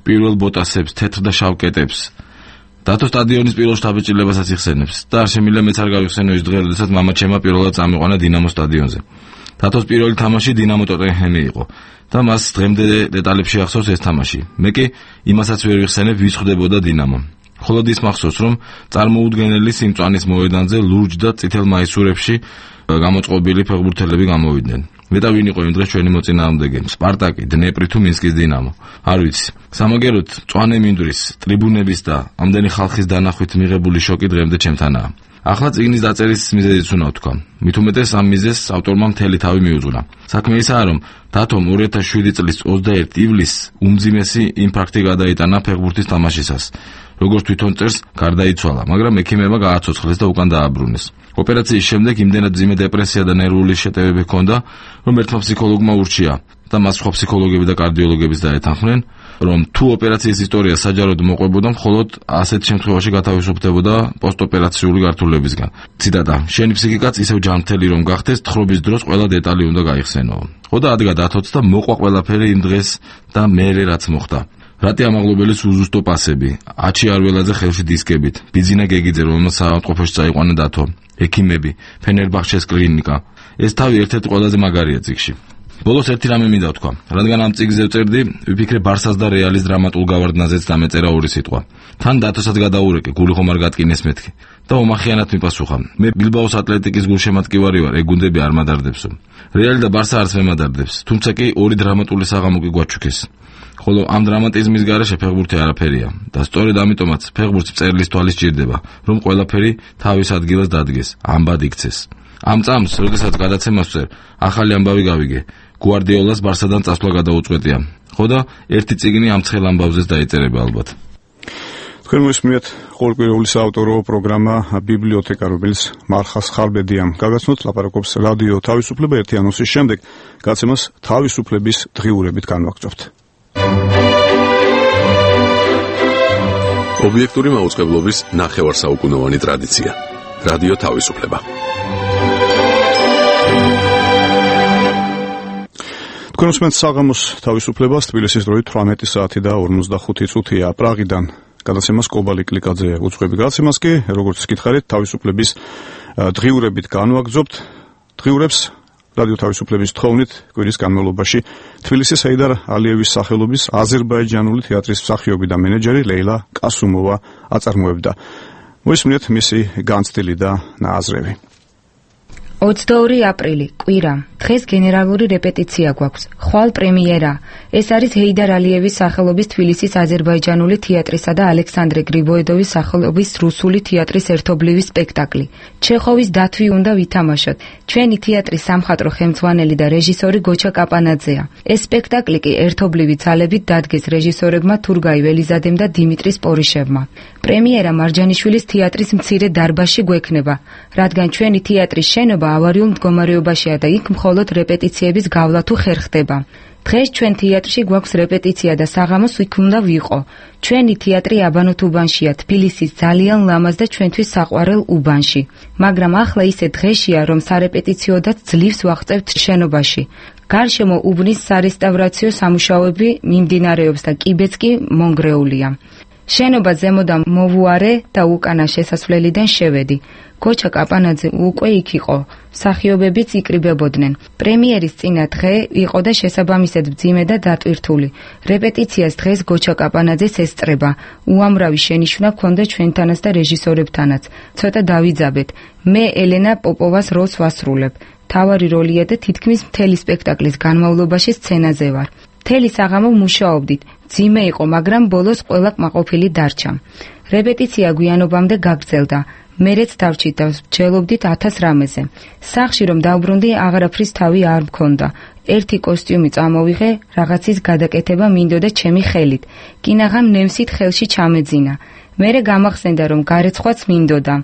პირველ ბოტასებს, თეთრ და შავ კეტებს. დათო სტადიონის პირველ შთაბეჭდილებასაც იხსენებს და არ შემიძლია მეც არ გავიხსენო ის დღე, როდესაც მამაჩემმა პირველად წამიყვანა დინამო სტადიონზე. დათოს პირველი თამაში დინამო ტოტენჰემი იყო და მას დღემდე დეტალებში ახსოვს ეს თამაში. მე კი იმასაც ვერ ვიხსენებ, ვის ხვდებოდა დინამო. მხოლოდ ის მახსოვს, რომ წარმოუდგენელი სიმწვანის მოედანზე ლურჯ და წითელ მაისურებში გამოწყობილი ფეხბურთელები გამოვიდნენ. მეტა ვინ იყო იმ დღეს ჩვენი მოწინააღმდეგე? სპარტაკი, დნეპრი თუ მინსკის დინამო? არ ვიცი. სამაგეროდ მწვანე მინდვრის, ტრიბუნების და ამდენი ხალხის დანახვით მიღებული შოკი დღემდე ჩემთანაა. ახლა წიგნის დაწერის მიზეზიც უნდა ვთქვა. მით უმეტეს ამ მიზეზს ავტორმა მთელი თავი მიუძღვნა. საქმე ისაა, რომ დათომ 2007 წლის 21 ივლისს უმძიმესი ინფარქტი გადაიტანა ფეხბურთის თამაშისას. როგორც თვითონ წერს, გარდაიცვალა, მაგრამ ექიმებმა გააცოცხლეს და უკან დააბრუნეს. ოპერაციის შემდეგ იმდენად მძიმე დეპრესია და ნერვული შეტევები ჰქონდა, რომ ერთმა ფსიქოლოგმა ურჩია და მას სხვა ფსიქოლოგები და კარდიოლოგებიც დაეთანხმნენ, რომ თუ ოპერაციის ისტორია საჯაროდ მოყვებოდა, მხოლოდ ასეთ შემთხვევაში გათავისუფლდებოდა პოსტოპერაციული გართულებისგან. ციტატა: შენი ფსიქიკაც ისევ ჯანმრთელი რომ გახდეს, თხრობის დროს ყველა დეტალი უნდა გაიხსენო. ხო და ადგა დათოც და მოყვა ყველაფერი იმ დღეს და მერე რაც მოხდა. რატი ამაღლობელის უზუსტო პასები, აჩი არველაძე ხელში დისკებით, ბიძინა გეგიძე, რომელსაც საავადმყოფოში წაიყვანა დათო, ექიმები, ფენერბახჩეს კლინიკა. ეს თავი ერთ-ერთი ყველაზე მაგარია წიგნში. ბოლოს ერთი რამე მინდა ვთქვა, რადგან ამ წიგნზე ვწერდი, ვიფიქრე ბარსას და რეალის დრამატულ გავარდნაზეც დამეწერა ორი სიტყვა. თან დათოსაც გადაურეკე, გული ხომ არ გატკინეს მეთქი და ომახიანად მიპასუხა. მე ბილბაოს ატლეტიკის გულშემატკივარი ვარ, ეგ გუნდები არ მადარდებსო. რეალი და ბარსა არც მემადარდებს, თუმცა კი ორი დრამატული საღამო კი გვაჩუქეს. ხოლო ამ დრამატიზმის გარეშე ფეხბურთი არაფერია და სწორედ ამიტომაც ფეხბურთს მწერლის თვალი სჭირდება, რომ ყველაფერი თავის ადგილას დადგეს, ამბად იქცეს. ამ წამს, როდესაც გადაცემას ვწერ, ახალი ამბავი გავიგე. გვარდიოლას ბარსადან წასვლა გადაუწყვეტია. ხო და ერთი წიგნი ამ ცხელ ამბავზეც დაიწერება ალბათ. თქვენ მოსმენთ ყოველკვირეული საავტორო პროგრამა ბიბლიოთეკა, რომელიც მარხას ხარბედიამ გაგაცნოთ, ლაპარაკობს რადიო თავისუფლება. ერთი ანონსის შემდეგ გაცემას თავისუფლების დღიურებით განვაგრძობთ. ობიექტური მაუწყებლობის ნახევარსაუკუნოვანი ტრადიცია. რადიო თავისუფლება. თქვენ უსმენთ საღამოს თავისუფლებას, თბილისის დროით 18 საათი და 45 წუთია. პრაღიდან გადაცემას კობალი კლიკაძე უძღვები. გადაცემას კი, როგორც გითხარით, თავისუფლების დღიურებით განვაგრძობთ. დღიურებს რადიო თავისუფლების თხოვნით კვირის განმავლობაში თბილისის ჰეიდარ ალიევის სახელობის აზერბაიჯანული თეატრის მსახიობი და მენეჯერი ლეილა კასუმოვა აწარმოებდა. მოისმინეთ მისი განცდილი და ნააზრევი. 22 აპრილი, კვირა. დღეს გენერალური რეპეტიცია გვაქვს. ხვალ პრემიერა. ეს არის ჰეიდარ ალიევის სახელობის თბილისის აზერბაიჯანული თეატრისა და ალექსანდრე გრიბოედოვის სახელობის რუსული თეატრის ერთობლივი სპექტაკლი. ჩეხოვის დათვი უნდა ვითამაშოთ. ჩვენი თეატრის სამხატვრო ხელმძღვანელი და რეჟისორი გოჩა კაპანაძეა. ეს სპექტაკლი კი ერთობლივი ძალებით დადგეს რეჟისორებმა თურგაი ველიზადემ და დიმიტრი სპორიშევმა. პრემიერა მარჯანიშვილის თეატრის მცირე დარბაზში გვექნება, რადგან ჩვენი თეატრის შენობა ავარიულ მდგომარეობაშია და იქ მხოლოდ რეპეტიციების გავლა თუ ხერხდება. დღეს ჩვენ თეატრში გვაქვს რეპეტიცია და საღამოს იქ უნდა ვიყო. ჩვენი თეატრი აბანოთ უბანშია, თბილისის ძალიან ლამაზ და ჩვენთვის საყვარელ უბანში. მაგრამ ახლა ისე დღეშია, რომ სარეპეტიციოდაც ძლივს ვაღწევთ შენობაში. გარშემო უბნის სარესტავრაციო სამუშაოები მიმდინარეობს და კიბეც კი მონგრეულია. შენობა ზემოდან მოვუარე და უკანა შესასვლელიდან შევედი. გოჩა კაპანაძე უკვე იქ იყო, მსახიობებიც იკრიბებოდნენ. პრემიერის წინა დღე იყო და შესაბამისად მძიმე და დატვირთული. რეპეტიციას დღეს გოჩა კაპანაძეს ესწრება. უამრავი შენიშვნა ჰქონდა ჩვენთანაც და რეჟისორებთანაც. ცოტა დავიძაბეთ. მე ელენა პოპოვას როლს ვასრულებ. თავარი როლია და თითქმის მთელი სპექტაკლის განმავლობაში სცენაზე ვარ. მთელი საღამო მუშაობდით. მძიმე იყო, მაგრამ ბოლოს ყველა კმაყოფილი დარჩა. რეპეტიცია გვიანობამდე გაგრძელდა. მერეც დავჭით და ვჯელობდით 1000 რამეზე. სახში რომ დავბრუნდი, აღარაფრის თავი არ მქონდა. ერთი კოსტიუმი წამოვიღე, რაღაცის გადაკეთება მინდოდა ჩემი ხელით. კინაღამ ნემსით ხელში ჩამეძინა. მერე გამახსენდა, რომ გარეცხვაც მინდოდა.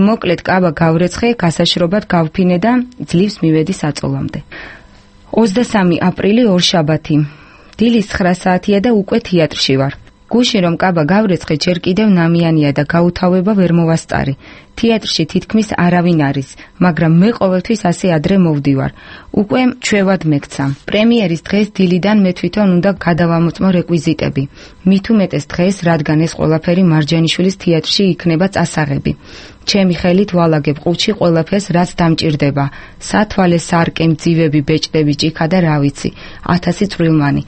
მოკლედ კაბა გავრეცხე, გასაშრობად გავფინე და ძლივს მივედი საწოლამდე. 23 აპრილი ორშაბათი. დილის 9 საათია და უკვე თეატრში ვარ. გუში რომ კაბა გავრეცხე, ჯერ კიდევ ნამიანია და გაუთავება ვერ მოვასწარი. თეატრში თითქმის არავინ არის, მაგრამ მე ყოველთვის ასე ადრე მოვდივარ. უკვე ჩვევად მეკცა. პრემიერის დღეს დილიდან მე თვითონ უნდა გადავამოწმო რეკვიზიტები. მით უმეტეს დღეს, რადგან ეს ყველაფერი მარჯანიშვილის თეატრში იქნება წასაღები. ჩემი ხელით ვალაგებ ყუთში ყველაფერს, რაც დამჭირდება. სათვალე, სარკე, მძივები, ბეჭდები, ჭიქა და რა ვიცი, 1000 წვრილმანი.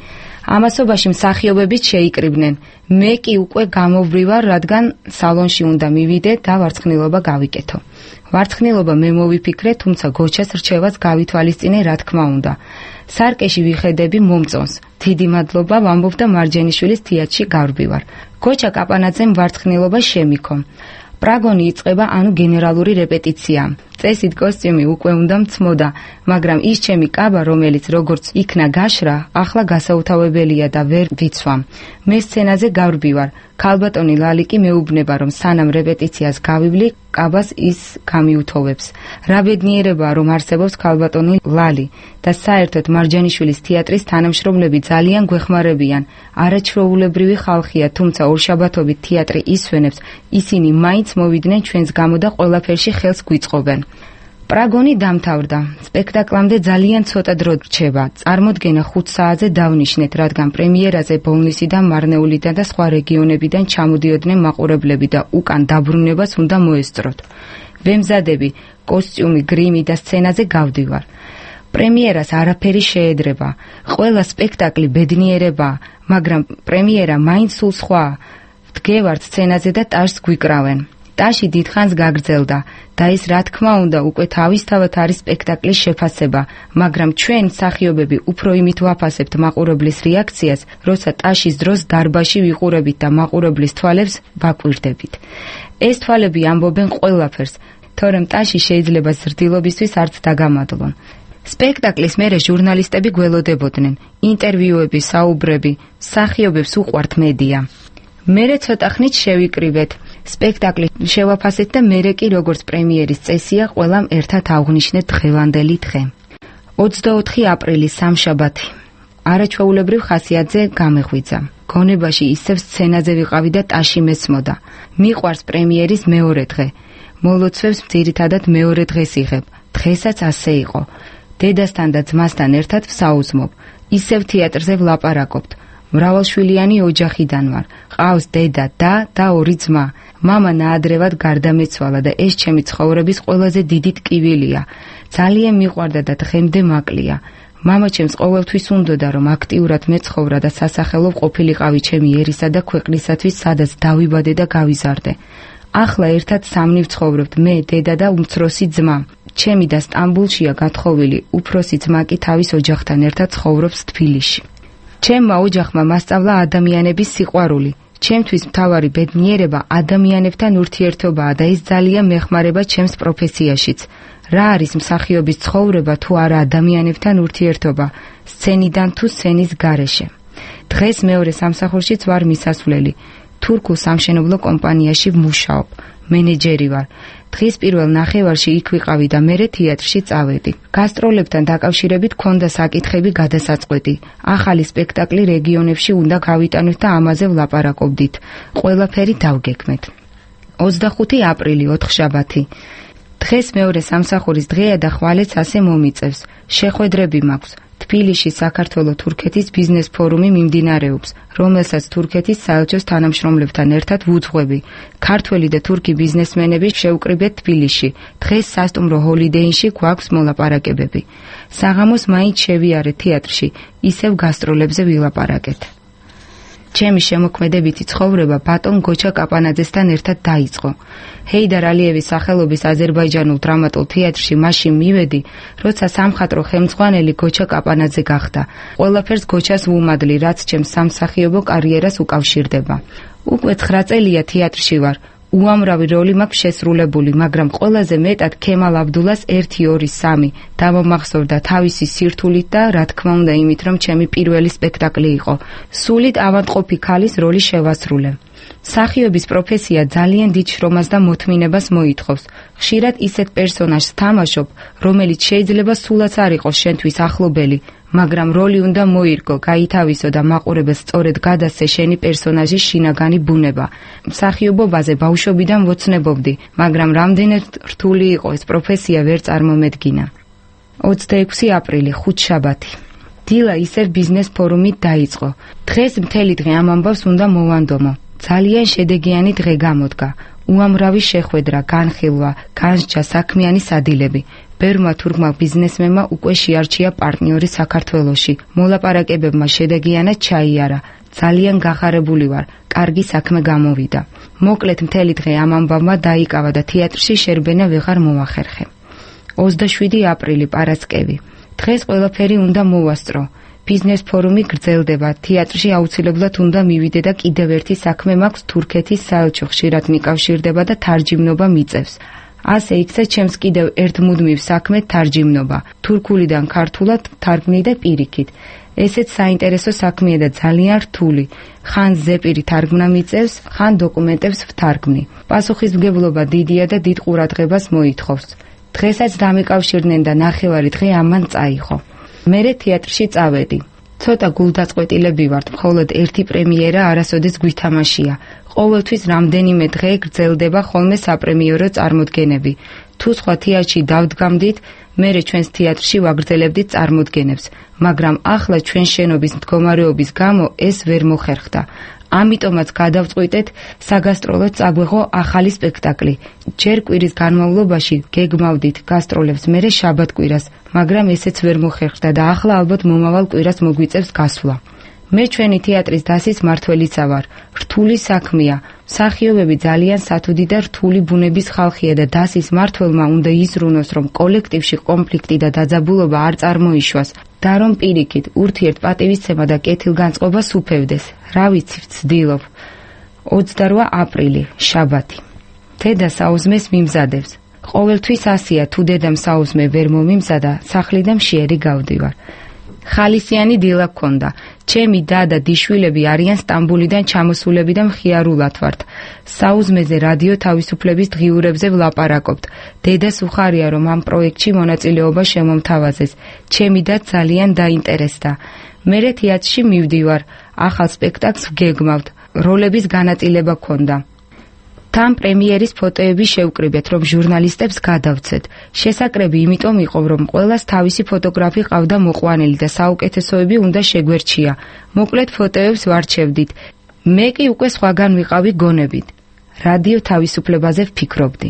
ამასობაში მსახიობებიც შეიკრიბნენ. მე კი უკვე გამოვრივარ, რადგან სალონში უნდა მივიდე და ვარცხნილობა გავიკეთო. ვარცხნილობა მე მოვიფიქრე, თუმცა გოჩას რჩევაც გავითვალისწინე, რა თქმა უნდა. სარკეში ვიხედები მომწონს. დიდი მადლობა, ვამბობ და მარჯანიშვილის თეატრში გავრბივარ. გოჩა კაპანაძემ ვარცხნილობა შემიქო. პრაგონი იწყება, ანუ გენერალური რეპეტიცია. წესით კოსტიუმი უკვე უნდა მცმოდა, მაგრამ ის ჩემი კაბა, რომელიც როგორც იქნა გაშრა, ახლა გასაუთავებელია და ვერ ვიცვამ. მე სცენაზე გავრბივარ. ქალბატონი ლალი კი მეუბნება, რომ სანამ რეპეტიციას გავივლი, კაბას ის გამიუთოვებს. რა ბედნიერებაა, რომ არსებობს ქალბატონი ლალი და საერთოდ მარჯანიშვილის თეატრის თანამშრომლები ძალიან გვეხმარებიან. არაჩვეულებრივი ხალხია, თუმცა ორშაბათობით თეატრი ისვენებს, ისინი მაინც მოვიდნენ ჩვენს გამო და ყველაფერში ხელს გვიწყობენ. პრაგონი დამთავრდა. სპექტაკლამდე ძალიან ცოტა დრო რჩება. წარმოდგენა 5 საათზე დავნიშნეთ, რადგან პრემიერაზე ბოლნისიდან, მარნეულიდან და სხვა რეგიონებიდან ჩამოდიოდნენ მაყურებლები და უკან დაბრუნებას უნდა მოესწროთ. ვემზადები, კოსტიუმი, გრიმი და სცენაზე გავდივარ. პრემიერას არაფერი შეედრება. ყველა სპექტაკლი ბედნიერებაა, მაგრამ პრემიერა მაინც სულ სხვაა. ვდგევართ სცენაზე და ტაშს გვიკრავენ. ტაში დიდხანს გაგრძელდა და ეს რა თქმა უნდა უკვე თავისთავად არის სპექტაკლის შეფასება, მაგრამ ჩვენ მსახიობები უფრო იმით ვაფასებთ მაყურებლის რეაქციას, როცა ტაშის დროს დარბაზში ვიყურებით და მაყურებლის თვალებს ვაკვირდებით. ეს თვალები ამბობენ ყველაფერს, თორემ ტაში შეიძლება ზრდილობისთვის არც დაგამადლონ. სპექტაკლის მერე ჟურნალისტები გველოდებოდნენ, ინტერვიუები, საუბრები, მსახიობებს უყვართ მედია. მერე ცოტა ხნით შევიკრივეთ. სპექტაკლი შევაფასეთ და მერე კი როგორც პრემიერის წესია, ყველამ ერთად აღვნიშნეთ დღევანდელი დღე. 24 აპრილი სამშაბათი. არაჩვეულებრივ ხასიათზე გამეღვიძა. გონებაში ისევ სცენაზე ვიყავი და ტაში მესმოდა. მიყვარს პრემიერის მეორე დღე. მოლოცვებს ძირითადად მეორე დღეს იღებ. დღესაც ასე იყო. დედასთან და ძმასთან ერთად ვსაუზმობ. ისევ თეატრზე ვლაპარაკობთ. მრავალშვილიანი ოჯახიდან ვარ. ყავს დედა და 2 ძმა. მამა ნაადრევად გარდამეცვალა და ეს ჩემი ცხოვრების ყველაზე დიდი ტკივილია. ძალიან მიყვარდა და დღემდე მაკლია. მამა ჩემს ყოველთვის უნდოდა, რომ აქტიურად მეცხოვრა და სასახელო ყოფილიყავი ჩემი ერისა და ქვეყნისათვის, სადაც დავიბადე და გავიზარდე. ახლა ერთად სამნი ვცხოვრობთ, მე, დედა და უმცროსი ძმა. ჩემი და სტამბულშია გათხოვილი, უფროსი ძმა კი თავის ოჯახთან ერთად ცხოვრობს თბილისში. ჩემმა ოჯახმა მასწავლა ადამიანების სიყვარული. ჩემთვის მთავარი ბედნიერება ადამიანებთან ურთიერთობაა და ეს ძალიან მეხმარება ჩემს პროფესიაშიც. რა არის მსახიობის ცხოვრება თუ არა ადამიანებთან ურთიერთობა, სცენიდან თუ სცენის გარეშე. დღეს მეორე სამსახურშიც ვარ მისასვლელი. თურქულ სამშენებლო კომპანიაში ვმუშაობ. მენეჯერი ვარ. დღის პირველ ნახევარში იქ ვიყავი და მერე თეატრში წავედი. გასტროლებთან დაკავშირებით ქონდა საკითხები გადასაწყვეტი. ახალი სპექტაკლი რეგიონებში უნდა გავიტანოთ და ამაზე ვლაპარაკობდით. ყველაფერი დავგეგმეთ. 25 აპრილი, ოთხშაბათი. დღეს მეორე სამსახურის დღეა და ხვალეც ასე მომიწევს. შეხვედრები მაქვს. თბილისში საქართველო-თურქეთის ბიზნეს ფორუმი მიმდინარეობს, რომელსაც თურქეთის საელჩოს თანამშრომლებთან ერთად ვუძღვები. ქართველი და თურქი ბიზნესმენები შევკრიბეთ თბილისში. დღეს სასტუმრო ჰოლიდეინში გვაქვს მოლაპარაკებები. საღამოს მაინც შევიარე თეატრში, ისევ გასტროლებზე ვილაპარაკეთ. ჩემი შემოქმედებითი ცხოვრება ბატონ გოჩა კაპანაძესთან ერთად დაიწყო. ჰეიდარ ალიევის სახელობის აზერბაიჯანულ დრამატულ თეატრში მაშინ მივედი, როცა სამხატვრო ხელმძღვანელი გოჩა კაპანაძე გახდა. ყველაფერს გოჩას ვუმადლი, რაც ჩემს სამსახიობო კარიერას უკავშირდება. უკვე 9 წელია თეატრში ვარ. უამრავი როლი მაქვს შესრულებული, მაგრამ ყველაზე მეტად ქემალ აბდულას 1, 2, 3 დამომახსოვრდა თავისი სირთულით და რა თქმა უნდა იმით, რომ ჩემი პირველი სპექტაკლი იყო. სულით ავადმყოფი ქალის როლი შევასრულე. მსახიობის პროფესია ძალიან დიდ შრომას და მოთმინებას მოითხოვს. ხშირად ისეთ პერსონაჟს თამაშობ, რომელიც შეიძლება სულაც არ იყოს შენთვის ახლობელი, მაგრამ როლი უნდა მოირგო, გაითავისო და მაყურებელს სწორედ გადასცე შენი პერსონაჟის შინაგანი ბუნება. მსახიობობაზე ბავშვობიდან ვოცნებობდი, მაგრამ რამდენად რთული იყო ეს პროფესია ვერ წარმომედგინა. 26 აპრილი, ხუთშაბათი. დილა ისევ ბიზნეს ფორუმით დაიწყო. დღეს მთელი დღე ამ ამბავს უნდა მოვანდომო. ძალიან შედეგიანი დღე გამოდგა. უამრავი შეხვედრა, განხილვა, განსჯა, საქმიანი სადილები. ბერმა თურქმა ბიზნესმენმა უკვე შეარჩია პარტნიორი საქართველოში. მოლაპარაკებებმა შედეგიანად ჩაიარა. ძალიან გახარებული ვარ. კარგი საქმე გამოვიდა. მოკლედ მთელი დღე ამ ამბავმა დაიკავა და თეატრში შერბენა ვეღარ მოახერხე. 27 აპრილი, პარასკევი. დღეს ყველაფერი უნდა მოვასწრო. ბიზნეს ფორუმი გრძელდება, თეატრში აუცილებლად უნდა მივიდე და კიდევ ერთი საქმე მაქვს, თურქეთის საელჩო ხშირად მიკავშირდება და თარჯიმნობა მიწევს. ასე იქცა ჩემს კიდევ ერთ მუდმივ საქმედ თარჯიმნობა, თურქულიდან ქართულად თარგმნი და პირიქით. ესეც საინტერესო საქმეა და ძალიან რთული. ხან ზეპირი თარგმნა მიწევს, ხან დოკუმენტებს ვთარგმნი. პასუხისმგებლობა დიდია და დიდ ყურადღებას მოითხოვს. დღესაც დამეკავშირდნენ და ნახევარი დღე ამან წაიღო. მერე თეატრში წავედი. ცოტა გულდაწყვეტილები ვართ, მხოლოდ ერთი პრემიერა არასოდეს გვითამაშია. ყოველთვის რამდენიმე დღე გრძელდება ხოლმე საპრემიერო წარმოდგენები. თუ სხვა თეატრში დავდგამდით, მერე ჩვენს თეატრში ვაგრძელებდით წარმოდგენებს, მაგრამ ახლა ჩვენ შენობის მდგომარეობის გამო ეს ვერ მოხერხდა. ამიტომაც გადავწყვიტეთ საგასტროლოდ წაგვეღო ახალი სპექტაკლი. ჯერ კვირის განმავლობაში გეგმავდით გასტროლებს, მერე შაბათ-კვირას, მაგრამ ესეც ვერ მოხერხდა და ახლა ალბათ მომავალ კვირას მოგვიწევს გასვლა. მე ჩვენი თეატრის დასის მმართველიცა ვარ. რთული საქმეა. მსახიობები ძალიან სათუდი და რთული ბუნების ხალხია და დასის მმართველმა უნდა იზრუნოს, რომ კოლექტივში კონფლიქტი და დაძაბულობა არ წარმოიშვას და რომ პირიქით ურთიერთპატივისცემა და კეთილგანწყობა სუფევდეს. რა ვიცი, ვცდილობ. 28 აპრილი, შაბათი. დედა საუზმეს მიმზადებს. ყოველთვის ასია, თუ დედამ საუზმე ვერ მომიმზადა, სახლიდან შეერი გავდივარ. ხალისიანი დილა გქონდა. ჩემი და და დიშვილები არიან სტამბულიდან ჩამოსულები და მხიარულად ვართ. საუზმეზე რადიო თავისუფლების დღიურებზე ვლაპარაკობთ. დედას უხარია, რომ ამ პროექტში მონაწილეობა შემომთავაზეს. ჩემი და ძალიან დაინტერესდა. მერე თეატრში მივდივარ. ახალ სპექტაკლს ვგეგმავთ. როლების განაწილება გქონდა. თან პრემიერის ფოტოები შევკრიბეთ, რომ ჟურნალისტებს გადავცეთ. შესაკრები იმიტომ იყო, რომ ყველას თავისი ფოტოგრაფი ყავდა მოყვანილი და საუკეთესოები უნდა შეგვერჩია. მოკლედ ფოტოებს ვარჩევდით. მე კი უკვე სხვაგან ვიყავი გონებით. რადიო თავისუფლებაზე ვფიქრობდი.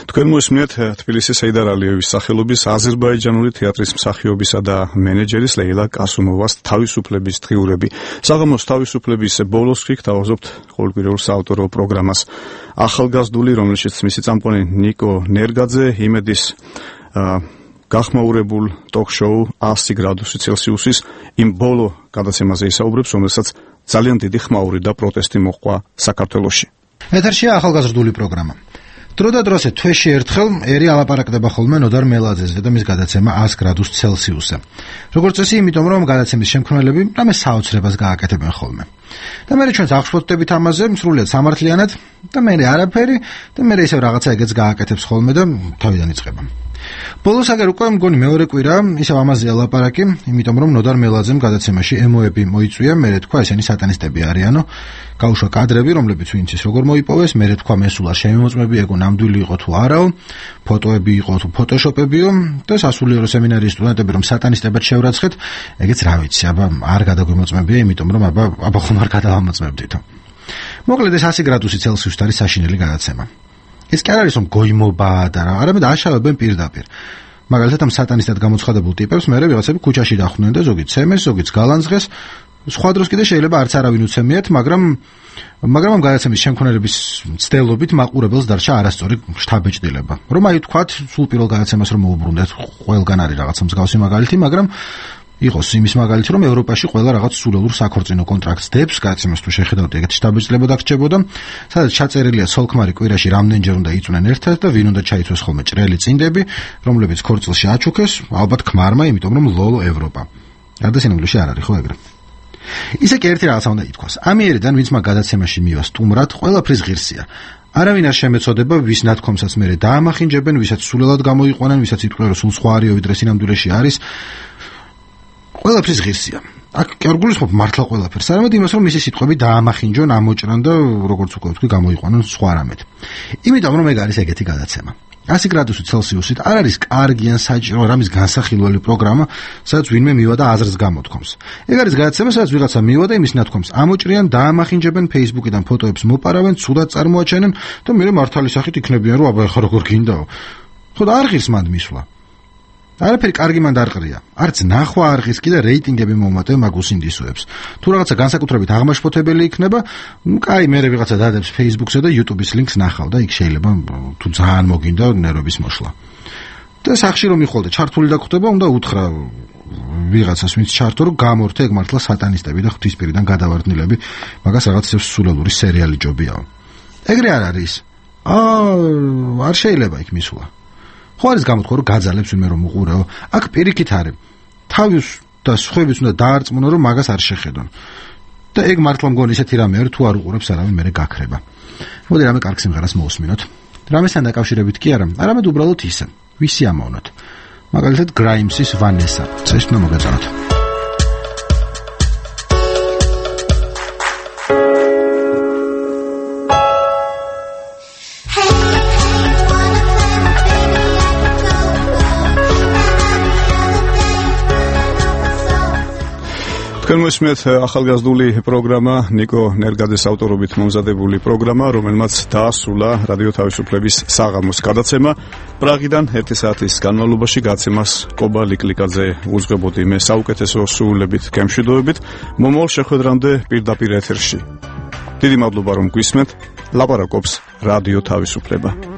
თქვენ მოსმენთ თბილისის ჰეიდარ ალიევის სახელობის აზერბაიჯანული თეატრის მსახიობისა და მენეჯერის ლეილა კასუმოვას თავისუფლების დღიურები. საღამოს თავისუფლების ბოლოს გთავაზობთ ყოველკვირეულ საავტორო პროგრამას. ახალგაზრდული, რომელშიც მისი წამყვანი ნიკო ნერგაძე იმედის გახმაურებულ ტოქ-შოუ 100 გრადუსი ცელსიუსის იმ ბოლო გადაცემაზე ისაუბრებს, რომელსაც ძალიან დიდი ხმაური და პროტესტი მოჰყვა საქართველოში. ეთერშია ახალგაზრდული პროგრამა. დროდადროსე თვეში ერთხელ ერი ალაპარაკდება ხოლმე ნოდარ მელაძეზე და მის გადაცემა 100 გრადუს ცელსიუსზე. როგორც წესი, იმიტომ რომ გადაცემის შემქმნელები რამე საოცრებას გააკეთებენ ხოლმე. და მე ჩვენს აღშფოთდებით ამაზე სრულიად სამართლიანად და მე არაფერი და მე ისევ რაღაცა ეგეც გააკეთებს ხოლმე და თავიდან იწყება. ბოლოს აგერ უკვე მგონი მეორე კვირა ისევ ამაზეა ლაპარაკი, იმიტომ რომ ნოდარ მელაძემ გადაცემაში ემოები მოიწვია, მე თქვა ესენი სატანისტები არიანო, გაუშვა კადრები, რომლებიც ვინც ის როგორ მოიპოვეს, მე თქვა მესულა შემოწმები ეგო ნამდვილი იყო თუ არაო, ფოტოები იყო თუ ფოტოშოპებიო და სასულიერო სემინარიის სტუდენტები რომ სატანისტებად შევრაცხეთ, ეგეც რა ვიცი, აბა არ გადაგვიმოწმებია, იმიტომ რომ აბა ხომ არ გადავამოწმებდითო. მოკლედ ეს 100 გრადუსი ცელსიუსით არის საშინელი გადაცემა. ეს კი არ არის რომ გოიმობაა და რა, არამედ აშავებენ პირდაპირ. მაგალითად ამ სატანისტად გამოცხადებულ ტიპებს მერე ვიღაცები ქუჩაში დახვდნენ და ზოგი ცემეს, ზოგიც გალანძღეს. სხვა დროს კიდე შეიძლება არც არავინ უცემიათ, მაგრამ ამ გადაცემის შემქმნელების ცდელობით მაყურებელს დარჩა არასწორი შთაბეჭდილება. რომ აი თქვათ, სულ პირველ გადაცემას რომ მოუბრუნდეთ, ყველგან არის რაღაცა მსგავსი მაგალითი, მაგრამ იყოს იმის მაგალითი, რომ ევროპაში ყველა რაღაც სულელურ საქორწინო კონტრაქტს დებს, გადაცემას თუ შეხედავთ, ეგეთი შთაბეჭდილება დაგჭებოდა, სადაც ჩაწერილია სოლქმარი კვირაში რამდენჯერ უნდა იწვნენ ერთად და ვინ უნდა ჩაიცვეს ხოლმე ჭრელი წინდები, რომლებიც ქორწილში აჩუქეს, ალბათ ქმარმა, იმიტომ რომ ლოლო ევროპა. გადასინამდვილეში არ არის ხო ეგრე. ისე კი ერთი რაღაცა უნდა ითქვას. ამიერიდან ვინც მაგ გადაცემაში მივა სტუმრად, ყველაფრის ღირსია. არავინ არ შემეწოდება, ვის ნათქვამსაც მერე დაამახინჯებენ, ვისაც სულელად გამოიყვანენ, ვისაც იტყვიან, რომ სულ სხვა არისო, ვიდრე სინამდვილეში არის. ყველაფრის ღირსია. აქ კი არ გულისხმობ მართლა ყველაფერს, არამედ იმას, რომ მისი სიტყვები დაამახინჯონ, ამოჭრან და როგორც უკვე ვთქვი, გამოიყვანონ სხვა რამეთ. იმიტომ რომ ეგ არის ეგეთი გადაცემა. 100 გრადუსი ცელსიუსით არ არის კარგი ან საჭირო რამის განსახილველი პროგრამა, სადაც ვინმე მივა და აზრს გამოთქვამს. ეგ არის გადაცემა, სადაც ვიღაცა მივა და იმის ნათქვამს ამოჭრიან, დაამახინჯებენ, Facebook-იდან ფოტოებს მოპარავენ, ცუდად წარმოაჩენენ და მე მართალი სახით იქნებიან, რომ აბა ეხა როგორ გინდაო. ხო და არ ღირს მანდ მისვლა. არაფერი კარგი მანდ არ ყრია. არც ნახვა არ ღირს კი და რეიტინგები მომატე მაგუსინდისოებს. თუ რაღაცა განსაკუთრებით აღმაშფოთებელი იქნება, კაი, მე ვიღაცა დადებს Facebook-ზე და YouTube-ის ლინკს ნახავ და იქ შეიძლება თუ ძალიან მოგინდა ნერვების მოშლა. და სახში რომ მიხვალდე ჩართული დაგხვდება, უნდა უთხრა ვიღაცას ვინც ჩართო, რომ გამორთე ეგ მართლა სატანისტები და ღვთისპირიდან გადავარდნილები, მაგას რაღაც სულელური სერიალი ჯობიაო. ეგრე არ არის. არ შეიძლება იქ მისვლა. ხო არის გამოთქვა რომ გაძალებს ვინმე რომ უყურეო. აქ პირიქით არის. თავის და სხვების უნდა დაარწმუნო რომ მაგას არ შეხედონ. და ეგ მართლა მგონი ისეთი რამე არის თუ არ უყურებს არავინ მერე გაქრება. მოდი რამე კარგ სიმღერას მოვუსმინოთ. რამესთან დაკავშირებით კი არა, არამედ უბრალოდ ისე. ვისი ამოვნოთ. მაგალითად Grimes-ის Vanessa. ეს უნდა მოგეწონოთ. თქვენ მოსმენთ ახალგაზრდული პროგრამა ნიკო ნერგაძის ავტორობით მომზადებული პროგრამა, რომელმაც დაასრულა რადიო თავისუფლების საღამოს გადაცემა. პრაღიდან 1 საათის განმავლობაში გაცემას კობა ლიკლიკაძე უძღვებოდი მე საუკეთესო სრულებით გემშვიდობებით. მომავალ შეხვედრამდე პირდაპირ ეთერში. დიდი მადლობა რომ გვისმენთ. ლაპარაკობს რადიო თავისუფლება.